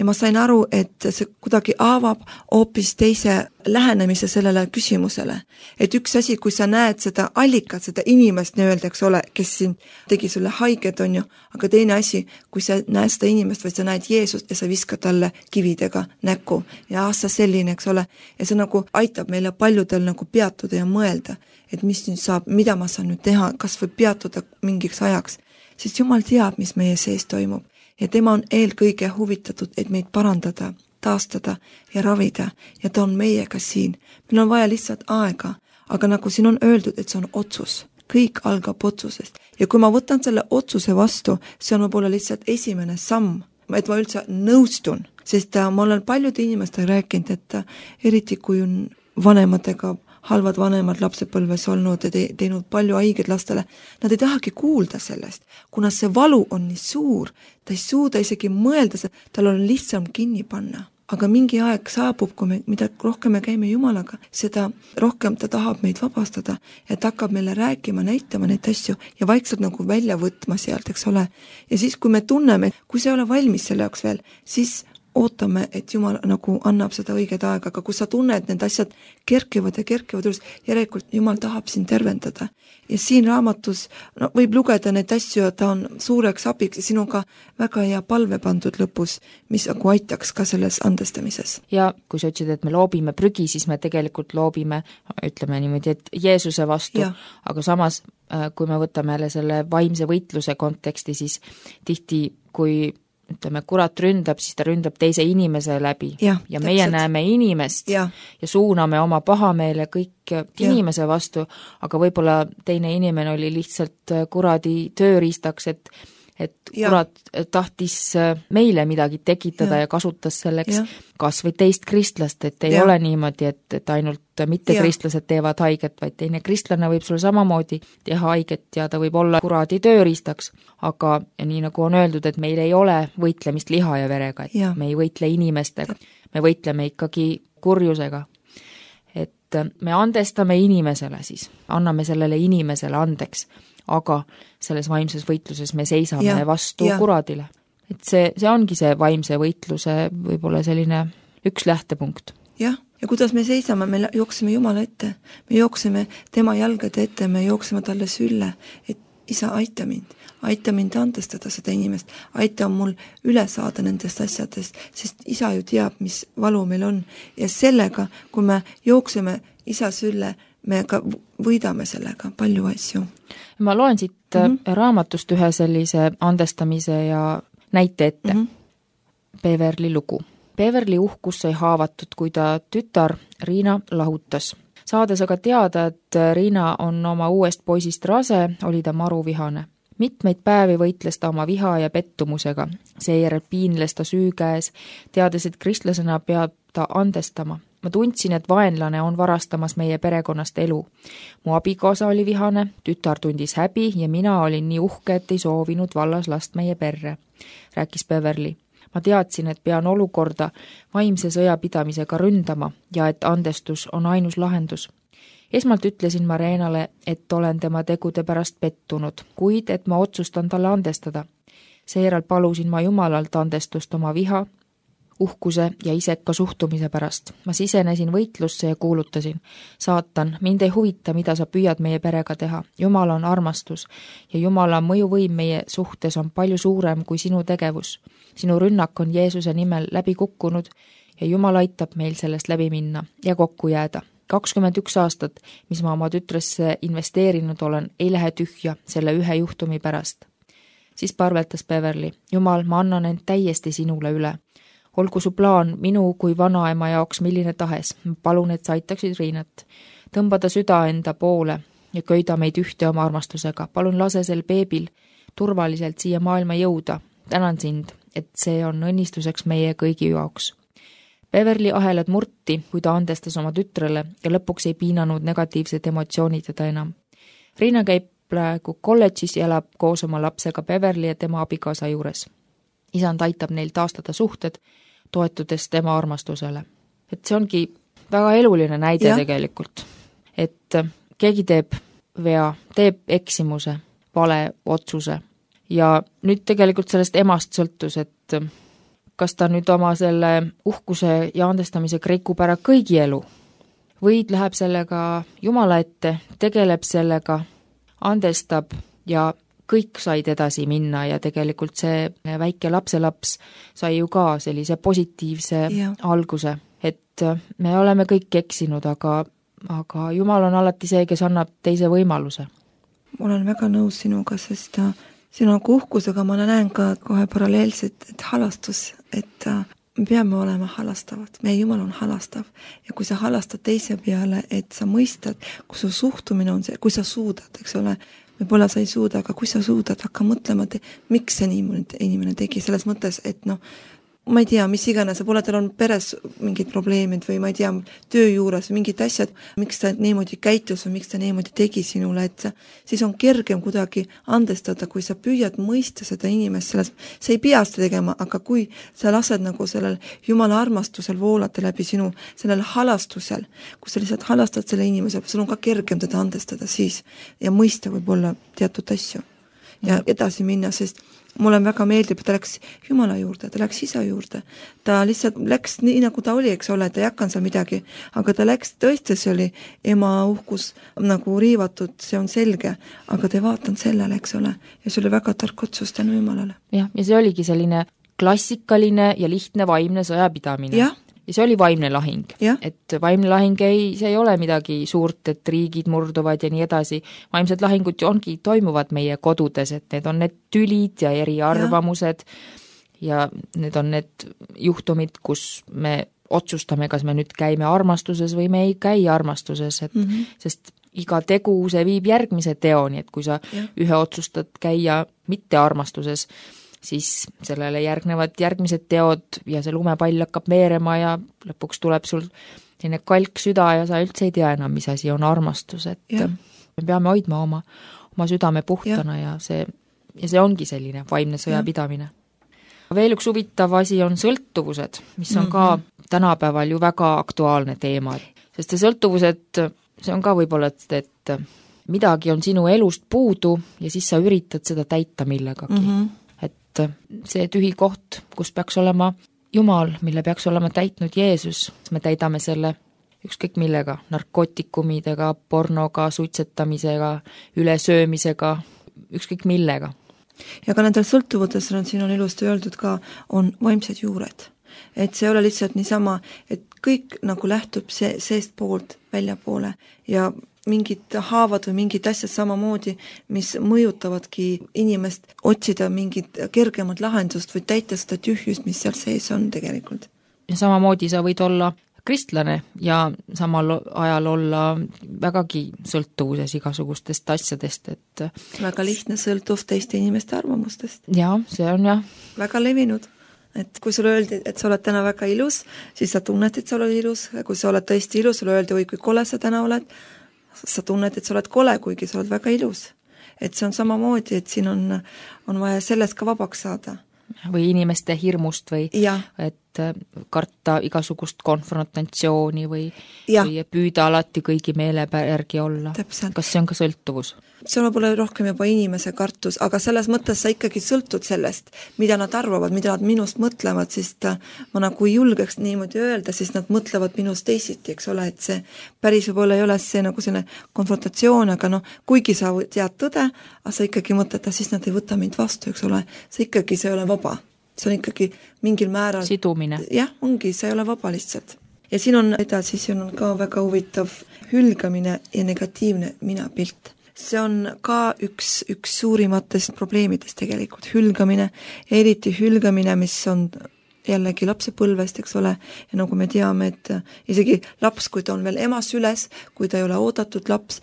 ma sain aru, et see kuidagi avab hoopis teise lähenemise sellele küsimusele. Et üks asi, kui sa näed seda allikat, seda inimest nii-öelda, eks ole, kes siin tegi sulle haiget, on ju, aga teine asi, kui sa näed seda inimest või sa näed Jeesust ja sa viskad talle kividega näkku ja sa selline, eks ole, ja see nagu aitab meile paljudel nagu peatuda ja mõelda, et mis nüüd saab, mida ma saan nüüd teha, kas võib peatuda mingiks ajaks. Sest Jumal teab, mis meie sees toimub ja tema on eelkõige huvitatud, et meid parandada. taastada ja ravida ja ta on meiega siin. Meil on vaja lihtsalt aega, aga nagu siin on öeldud, et see on otsus. Kõik algab otsusest ja kui ma võtan selle otsuse vastu, see on võib-olla lihtsalt esimene samm, et ma üldse nõustun, sest ma olen paljude inimestega rääkinud, et eriti kui on vanematega halvad vanemad lapsepõlves olnud ja teinud palju haiget lastele, nad ei tahagi kuulda sellest, kuna see valu on nii suur, ta ei suuda isegi mõelda, tal on lihtsam kinni panna. Aga mingi aeg saabub, mida rohkem me käime Jumalaga, seda rohkem ta tahab meid vabastada ja ta hakkab meile rääkima, näitama neid asju ja vaikselt nagu välja võtma sealt, eks ole. Ja siis, kui me tunneme, kui sa ei ole valmis selle jaoks veel, siis ootame, et Jumal nagu annab seda õiget aega, aga kui sa tunned, need asjad kerkivad üles, järelikult Jumal tahab sind tervendada. Ja siin raamatus võib lugeda neid asju, ta on suureks abiks ja siin on ka väga hea palve pandud lõpus, mis nagu aitaks ka selles andestamises. Ja kui sa ütlesid, et me loobime prügi, siis me tegelikult loobime, ütleme niimoodi, et Jeesuse vastu, aga samas, kui me võtame jälle selle vaimse võitluse konteksti, siis tihti, kui ütleme, kurat ründab, siis ta ründab teise inimese läbi ja meie näeme inimest ja suuname oma pahameele kõik inimese vastu, aga võib-olla teine inimene oli lihtsalt kuradi tööriistaks, et kurat tahtis meile midagi tekitada ja kasutas selleks kas või teist kristlast, et ei ole niimoodi, et ainult mitte kristlased teevad haiget, vaid teine kristlane võib sulle samamoodi teha haiget ja ta võib olla kuradi tööriistaks, aga nii nagu on öeldud, et meil ei ole võitlemist liha ja verega, et me ei võitle inimestega, me võitleme ikkagi kurjusega. Et me andestame inimesele siis, anname sellele inimesele andeks, aga selles vaimses võitluses me seisame vastu kuradile. Et see ongi see vaimse võitluse võib-olla selline üks lähtepunkt. Ja kuidas me seisame, me jookseme Jumala ette, me jookseme tema jalgade ette, me jookseme talle sülle, et isa, aita mind andestada seda inimest, aita mul üle saada nendest asjadest, sest isa ju teab, mis valu meil on ja sellega, kui me jookseme isa sülle, me ka võidame sellega palju asju. Ma loen siit raamatust ühe sellise andestamise ja näite ette. Beverly lugu. Beverly uhkus sai haavatud, kui ta tütar Riina lahutas. Saades aga teada, et Riina on oma uuest poisist rase, oli ta maruvihane. Mitmeid päevi võitles ta oma viha ja pettumusega. Seejärel piinles ta süü käes, teades, et kristlasena peab ta andestama. Ma tundsin, et vaenlane on varastamas meie perekonnast elu. Mu abikaasa oli vihane, tütar tundis häbi ja mina olin nii uhke, et ei soovinud vallas last meie perre, rääkis Beverly. Ma teadsin, et pean olukorda vaimse sõjapidamisega ründama ja et andestus on ainus lahendus. Esmalt ütlesin Marenale, et olen tema tegude pärast pettunud, kuid et ma otsustan talle andestada. Seejärel palusin ma Jumalalt andestust oma viha, uhkuse ja iseka suhtumise pärast. Ma sisenesin võitlusse ja kuulutasin. Saatan, mind ei huvita, mida sa püüad meie perega teha. Jumal on armastus ja Jumala mõjuvõim meie suhtes on palju suurem kui sinu tegevus. Sinu rünnak on Jeesuse nimel läbi kukkunud ja Jumal aitab meil sellest läbi minna ja kokku jääda. 21 aastat, mis ma oma tütresse investeerinud olen, ei lähe tühja selle ühe juhtumi pärast. Siis parveltas Beverly. Jumal, ma annan end täiesti sinule üle. Olgu su plaan minu kui vanaema jaoks milline tahes. Palun, et sa aitaksid Riinat. Tõmbada süda enda poole ja köida meid ühte oma armastusega. Palun lase sel beebil turvaliselt siia maailma jõuda. Tänan sind, et see on õnnistuseks meie kõigi jaoks. Beverly ahelad murti, kui ta andestas oma tütrele ja lõpuks ei piinanud negatiivsed emotsioonid teda enam. Riina käib praegu kolledžis ja elab koos oma lapsega Beverly ja tema abikaasa juures. Isand aitab neil taastada suhted, toetudes tema armastusele. Et see ongi väga eluline näide tegelikult. Et keegi teeb vea, teeb eksimuse, vale otsuse. Ja nüüd tegelikult sellest emast sõltus, et kas ta nüüd oma selle uhkuse ja andestamise rikub ära kõigi elu. Või läheb sellega Jumala ette, tegeleb sellega, andestab ja kõik said edasi minna ja tegelikult see väike lapselaps sai ju ka sellise positiivse alguse, et me oleme kõik eksinud, aga Jumal on alati see, kes annab teise võimaluse. Ma olen väga nõus sinuga, sest sinu uhkusega ma näen ka kohe paralleelselt, et halastus, et me peame olema halastavad, meie Jumal on halastav ja kui sa halastad teise peale, et sa mõistad, kui su suhtumine on see, kui sa suudad, eks ole, võib-olla sa ei suuda, aga kui sa suudad, hakka mõtlema, miks see inimene tegi, selles mõttes, et ma ei tea, mis iganes, võib-olla tal on peres mingid probleemid või ma ei tea, töö juures mingid asjad, miks ta niimoodi käitus või miks ta niimoodi tegi sinule, et siis on kergem kuidagi andestada, kui sa püüad mõista seda inimest, sa ei pea seda tegema, aga kui sa lased nagu sellel Jumala armastusel voolata läbi sinu, sellel halastusel, kui sa lihtsalt halastad selle inimese, sul on ka kergem teda andestada siis ja mõista võib-olla teatud asju ja edasi minna, sest mulle väga meeldib, ta läks Jumala juurde, ta läks isa juurde. Ta lihtsalt läks nii, nagu ta oli, eks ole, ta ei hakanud seal midagi, aga ta läks, tõesti see oli ema uhkus nagu riivatud, see on selge, aga ta ei vaatanud sellele, eks ole, ja see oli väga tark otsus tänu Jumalale. Ja see oligi selline klassikaline ja lihtne vaimne sõjapidamine. Ja see oli vaimne lahing, et vaimne lahing see ei ole midagi suurt, et riigid murduvad ja nii edasi. Vaimsed lahingud toimuvad meie kodudes, et need on need tülid ja eriarvamused ja need on need juhtumid, kus me otsustame, kas me nüüd käime armastuses või me ei käi armastuses, et sest iga tegu see viib järgmise teoni, et kui sa ühe otsustad käia mitte armastuses, siis sellele järgnevad järgmised teod ja see lumepall hakkab veerema ja lõpuks tuleb sul selline kalk süda ja sa üldse ei tea enam, mis asi on armastus, et me peame hoidma oma südame puhtana ja see ongi selline vaimne sõjapidamine. Veel üks huvitav asi on sõltuvused, mis on ka tänapäeval ju väga aktuaalne teema, sest see sõltuvused, see on ka võib-olla, et midagi on sinu elust puudu ja siis sa üritad seda täita millegagi. See tühi koht, kus peaks olema Jumal, mille peaks olema täitnud Jeesus, me täidame selle ükskõik millega, narkootikumidega, pornoga, suitsetamisega, ülesöömisega, ükskõik millega. Ja ka nendel sõltuvudes, siin on ilusti öeldud ka, on vaimsed juured. Et see ei ole lihtsalt niisama, et kõik nagu lähtub seest poolt välja poole ja mingid haavad või mingid asjad samamoodi, mis mõjutavadki inimest otsida mingit kergemat lahendust või täita seda tühjust, mis seal sees on tegelikult. Ja samamoodi sa võid olla kristlane ja samal ajal olla vägagi sõltuvuses igasugustest asjadest, et väga lihtne sõltuv teiste inimeste arvamustest. Ja, see on väga levinud. Et kui sulle öeldi, et sa oled täna väga ilus, siis sa tunned, et sa oled ilus. Kui sa oled tõesti ilus, sulle öeldi, oi kui kole sa täna oled, sa tunned, et sa oled kole, kuigi sa oled väga ilus. Et see on samamoodi, et siin on vaja sellest ka vabaks saada. Või inimeste hirmust või et karta igasugust konfrontatsiooni või püüda alati kõigi meele järgi olla. Täpselt. Kas see on ka sõltuvus? See on võib-olla rohkem juba inimese kartus, aga selles mõttes sa ikkagi sõltud sellest, mida nad arvavad, mida nad minust mõtlevad, sest ma nagu ei julgeks niimoodi öelda, siis nad mõtlevad minust teisiti, eks ole, et see päris võib-olla ei ole see nagu selline konfrontatsioon, aga kuigi sa tead tõde, aga sa ikkagi mõtled, siis nad ei võta mind vastu, eks ole, see ei ole vaba. See on ikkagi mingil määral sidumine. Jah, ongi, see ei ole vaba lihtsalt. Ja siin on edasi, siin on ka väga huvitav hülgamine ja negatiivne minapilt. See on ka üks suurimatest probleemidest tegelikult, hülgamine, eriti hülgamine, mis on jällegi lapsepõlvest, eks ole, ja nagu me teame, et isegi laps, kui ta on veel ema süles, kui ta ei ole oodatud laps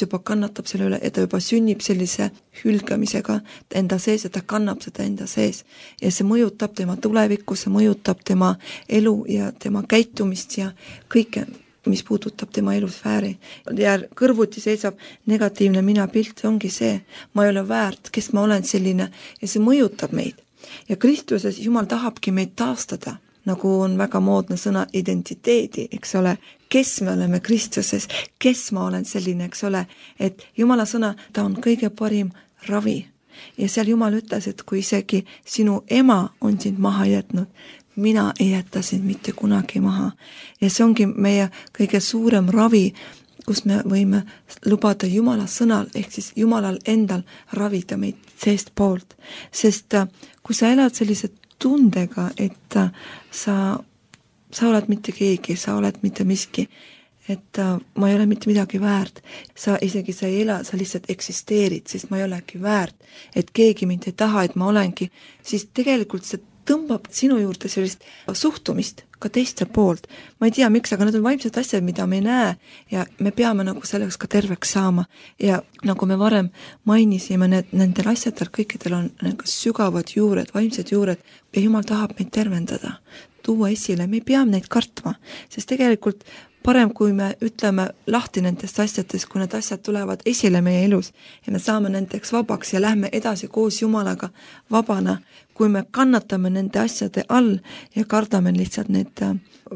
juba kannatab selle üle, et ta juba sünnib sellise hülgamisega enda sees, et ta kannab seda enda sees. Ja see mõjutab tema tulevikku, see mõjutab tema elu ja tema käitumist ja kõike, mis puudutab tema elusfääri. Ja kõrvuti seisab negatiivne minapilt, see ongi see, ma ei ole väärt, kes ma olen selline ja see mõjutab meid. Ja Kristuses Jumal tahabki meid taastada, nagu on väga moodne sõna identiteedi, eks ole, kes me oleme Kristuses, kes ma olen selline, eks ole, et Jumala sõna, ta on kõige parim ravi. Ja seal Jumal ütles, et kui isegi sinu ema on sind maha jätnud, mina ei jäta sind mitte kunagi maha. Ja see ongi meie kõige suurem ravi, kus me võime lubada Jumala sõnal, ehk siis Jumalal endal ravida meid seest poolt. Sest kui sa elad sellise tundega, et sa oled mitte keegi, sa oled mitte miski, et ma ei ole mitte midagi väärt, sa ei ela, sa lihtsalt eksisteerid, sest ma ei olegi väärt, et keegi mind ei taha, et ma olengi, siis tegelikult see tõmbab sinu juurde sellist suhtumist ka teiste poolt. Ma ei tea, miks, aga need on vaimsed asjad, mida me ei näe ja me peame nagu selleks ka terveks saama. Ja nagu me varem mainisime, nendel asjadel kõikidel on nagu sügavad juured, vaimsed juured ja Jumal tahab meid tervendada, tuua esile, me ei pea neid kartma, sest tegelikult parem, kui me ütleme lahti nendest asjadest, kui need asjad tulevad esile meie elus ja me saame nendeks vabaks ja lähme edasi koos Jumalaga vabana, kui me kannatame nende asjade all ja kardame lihtsalt need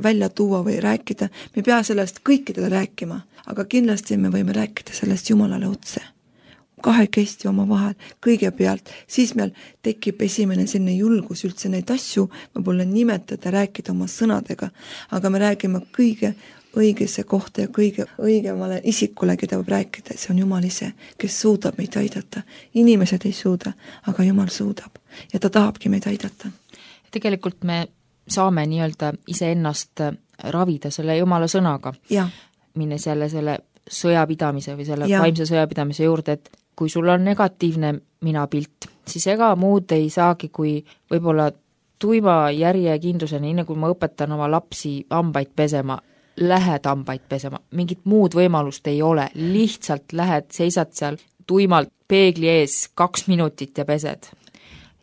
välja tuua või rääkida. Me ei pea sellest kõikidele rääkima, aga kindlasti me võime rääkida sellest Jumalale otse. Kahekesti oma vahel kõigepealt, siis meil tekib esimene selline julgus üldse neid asju võib-olla nimetada, rääkida oma sõnadega, aga me räägime kõige õigesse kohta ja kõige õigemale isikule, keda võib rääkida, see on Jumal ise, kes suudab meid aidata. Inimesed ei suuda, aga Jumal suudab ja ta tahabki meid aidata. Tegelikult me saame nii-öelda iseennast ravida selle Jumala sõnaga, minnes jälle selle sõjapidamise või selle vaimse sõjapidamise juurde, et kui sul on negatiivne minapilt, siis ega muud ei saagi, kui võib-olla tuima järjekindluseni, nii nagu ma õpetan oma lapsi hambaid pesema, lähed hambaid pesema, mingit muud võimalust ei ole, lihtsalt lähed, seisad seal tuimalt peegli ees 2 minutit ja pesed.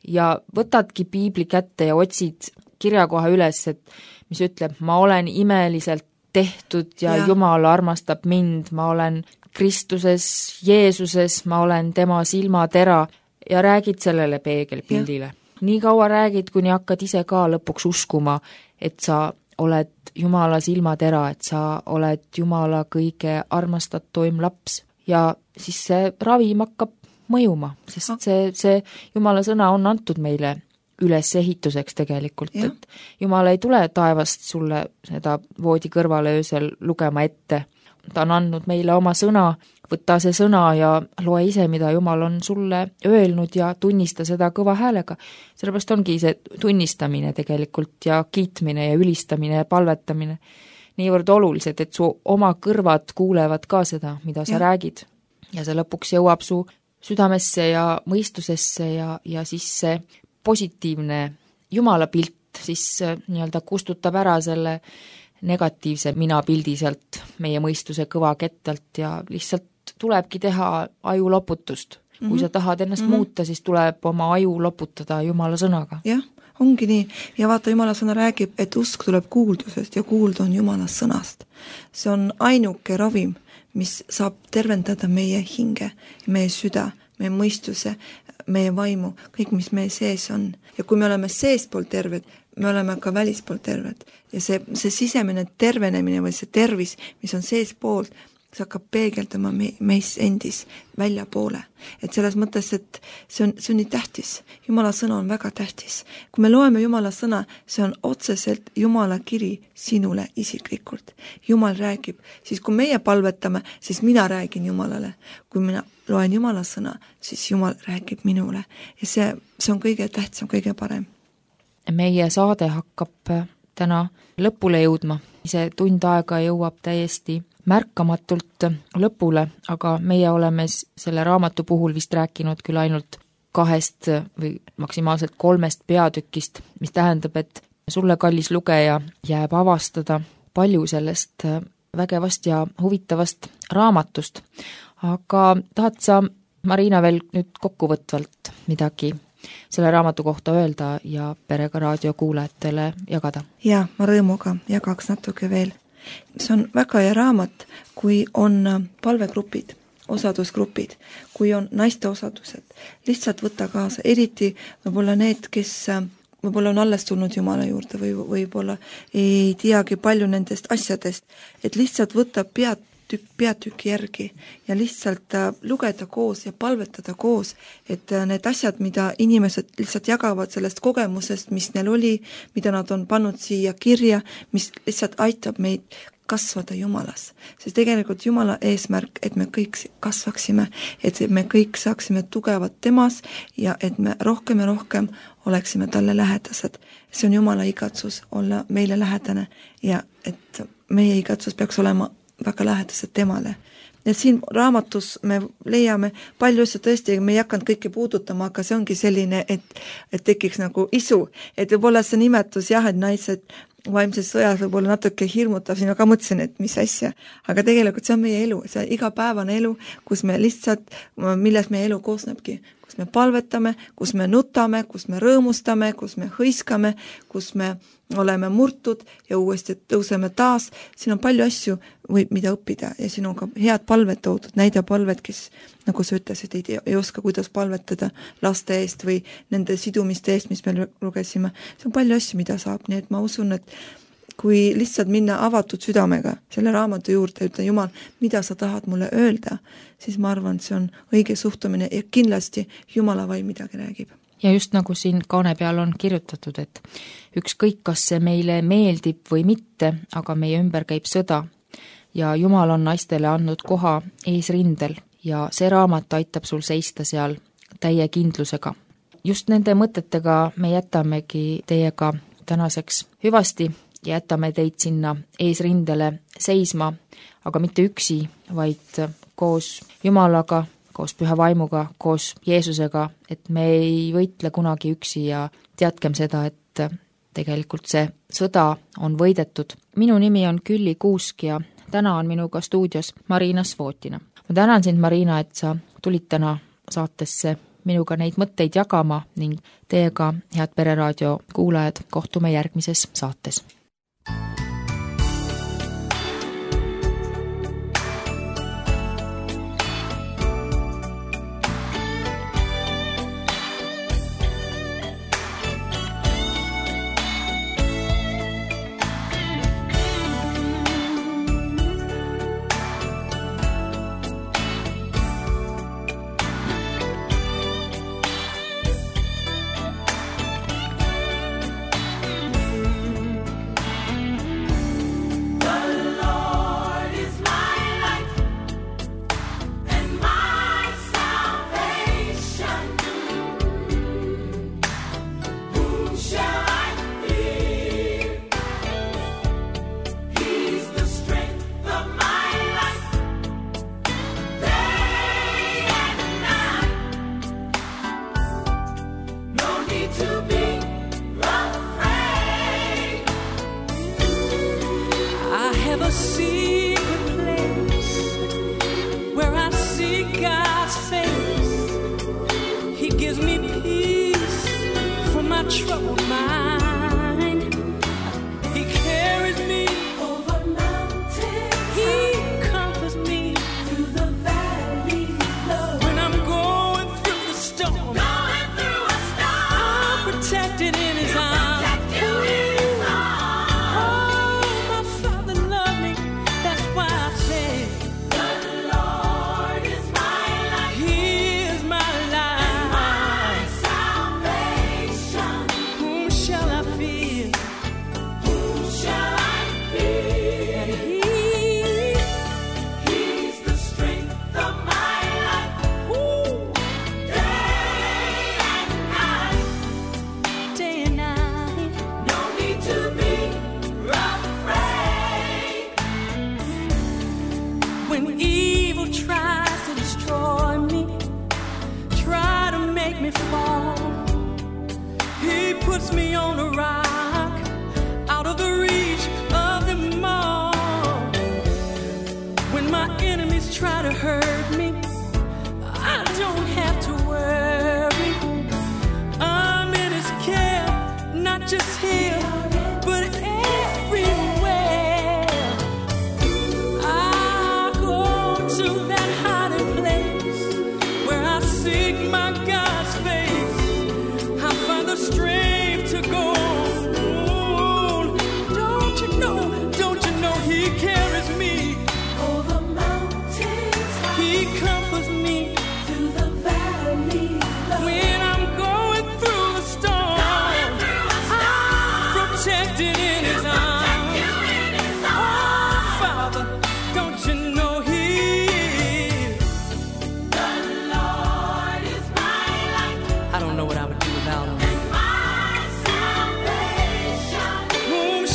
Ja võtadki piibli kätte ja otsid kirjakoha üles, et mis ütleb, ma olen imeliselt tehtud ja Jumal armastab mind, ma olen Kristuses, Jeesuses, ma olen tema silmatera ja räägid sellele peegelpildile. Nii kaua räägid, kuni hakkad ise ka lõpuks uskuma, et sa oled Jumala silmatera, et sa oled Jumala kõige armastatuim laps ja siis see ravim hakkab mõjuma, sest see Jumala sõna on antud meile ülesehituseks tegelikult, et Jumal ei tule taevast sulle seda voodi kõrvale öösel lugema ette. Ta on andnud meile oma sõna, võta see sõna ja loe ise, mida Jumal on sulle öelnud ja tunnista seda kõva häälega. Sellepärast ongi see tunnistamine tegelikult ja kiitmine ja ülistamine ja palvetamine niivõrd olulised, et su oma kõrvad kuulevad ka seda, mida sa räägid. Ja see lõpuks jõuab su südamesse ja mõistusesse ja siis see positiivne Jumala pilt siis nii-öelda kustutab ära selle negatiivse minapildi sealt meie mõistuse kõva kettalt ja lihtsalt tulebki teha aju loputust. Kui sa tahad ennast muuta, siis tuleb oma aju loputada Jumala sõnaga. Jah, ongi nii. Ja vaata, Jumala sõna räägib, et usk tuleb kuuldusest ja kuulda on Jumala sõnast. See on ainuke ravim, mis saab tervendada meie hinge, meie süda, meie mõistuse, meie vaimu, kõik, mis meie sees on. Ja kui me oleme seespool terved, me oleme ka välispool terved. Ja see sisemine tervenemine või see tervis, mis on seespool, see hakkab peegeldama meis endis välja poole. Et selles mõttes, et see on nii tähtis. Jumala sõna on väga tähtis. Kui me loeme Jumala sõna, see on otseselt Jumala kiri sinule isiklikult. Jumal räägib. Siis kui meie palvetame, siis mina räägin Jumalale. Kui mina loen Jumala sõna, siis Jumal räägib minule. Ja see on kõige tähtsam, kõige parem. Meie saade hakkab täna lõpule jõudma. See tund aega jõuab täiesti märkamatult lõpule, aga meie oleme selle raamatu puhul vist rääkinud küll ainult 2 või maksimaalselt 3 peatükist, mis tähendab, et sulle, kallis lugeja, jääb avastada palju sellest vägevast ja huvitavast raamatust. Aga tahad sa, Marina, veel nüüd kokkuvõtvalt midagi selle raamatu kohta öelda ja Perega raadio kuulajatele jagada? Ja, ma rõõmuga jagaks natuke veel. See on väga hea raamat, kui on palvegrupid, osadusgrupid, kui on naiste osadused. Lihtsalt võtta kaasa, eriti võib-olla need, kes võib-olla on alles tulnud Jumala juurde või võib-olla ei teagi palju nendest asjadest, et lihtsalt võtta peatükki järgi ja lihtsalt lugeda koos ja palvetada koos, et need asjad, mida inimesed lihtsalt jagavad sellest kogemusest, mis neil oli, mida nad on pannud siia kirja, mis lihtsalt aitab meid kasvada Jumalas. Sest tegelikult Jumala eesmärk, et me kõik kasvaksime, et me kõik saaksime tugevad temas ja et me rohkem ja rohkem oleksime talle lähedased. See on Jumala igatsus olla meile lähedane ja et meie igatsus peaks olema väga lähedased temale. et siin raamatus me leiame palju asju tõesti, me ei hakanud kõike puudutama, aga see ongi selline, et tekiks nagu isu, et võib-olla see nimetus jah, et naised vaimses sõjas võib-olla natuke hirmutav, siin ma ka mõtlesin, et mis asja, aga tegelikult see on meie elu, see igapäevane elu, kus me lihtsalt, milles meie elu koosnebki, kus me palvetame, kus me nutame, kus me rõõmustame, kus me hõiskame, kus me oleme murtud ja uuesti tõuseme taas, siin on palju asju, mida õppida ja siin on ka head palved toodud, näidapalved, kes, nagu sa ütlesid, ei oska, kuidas palvetada laste eest või nende sidumiste eest, mis me lugesime. See on palju asju, mida saab, nii et ma usun, et kui lihtsalt minna avatud südamega selle raamatu juurde ja ütle, Jumal, mida sa tahad mulle öelda, siis ma arvan, see on õige suhtumine ja kindlasti Jumala vaim midagi räägib. Ja just nagu siin kaane peal on kirjutatud, et ükskõik, kas see meile meeldib või mitte, aga meie ümber käib sõda ja Jumal on naistele andnud koha eesrindel ja see raamat aitab sul seista seal täie kindlusega. Just nende mõtetega me jätamegi teiega tänaseks hüvasti ja jätame teid sinna eesrindele seisma, aga mitte üksi, vaid koos Jumalaga, koos Püha Vaimuga, koos Jeesusega, et me ei võitle kunagi üksi ja teadkem seda, et tegelikult see sõda on võidetud. Minu nimi on Külli Kuusk ja täna on minuga stuudios Marina Svotina. Ma tänan sind, Marina, et sa tulid täna saatesse minuga neid mõtteid jagama ning teiega, head Pereraadio kuulajad, kohtume järgmises saates.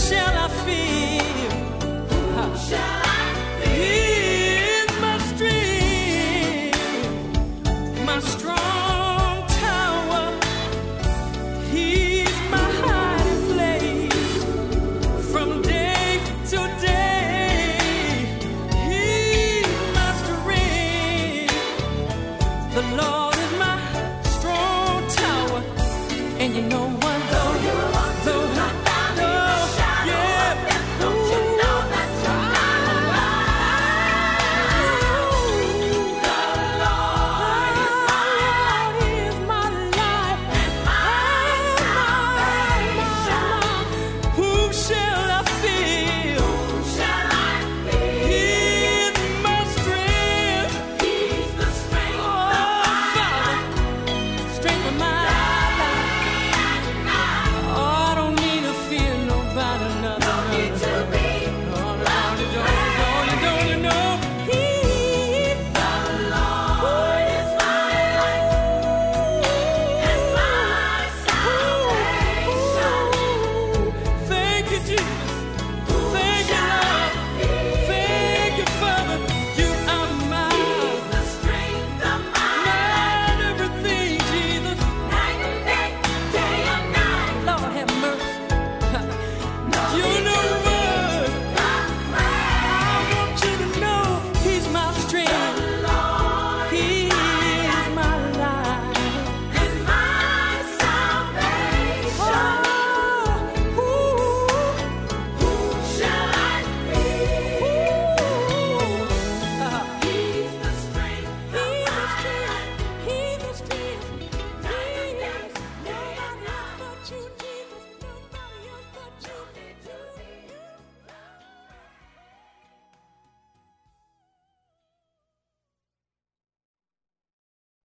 Shall I feel? He is my strength. the Lord.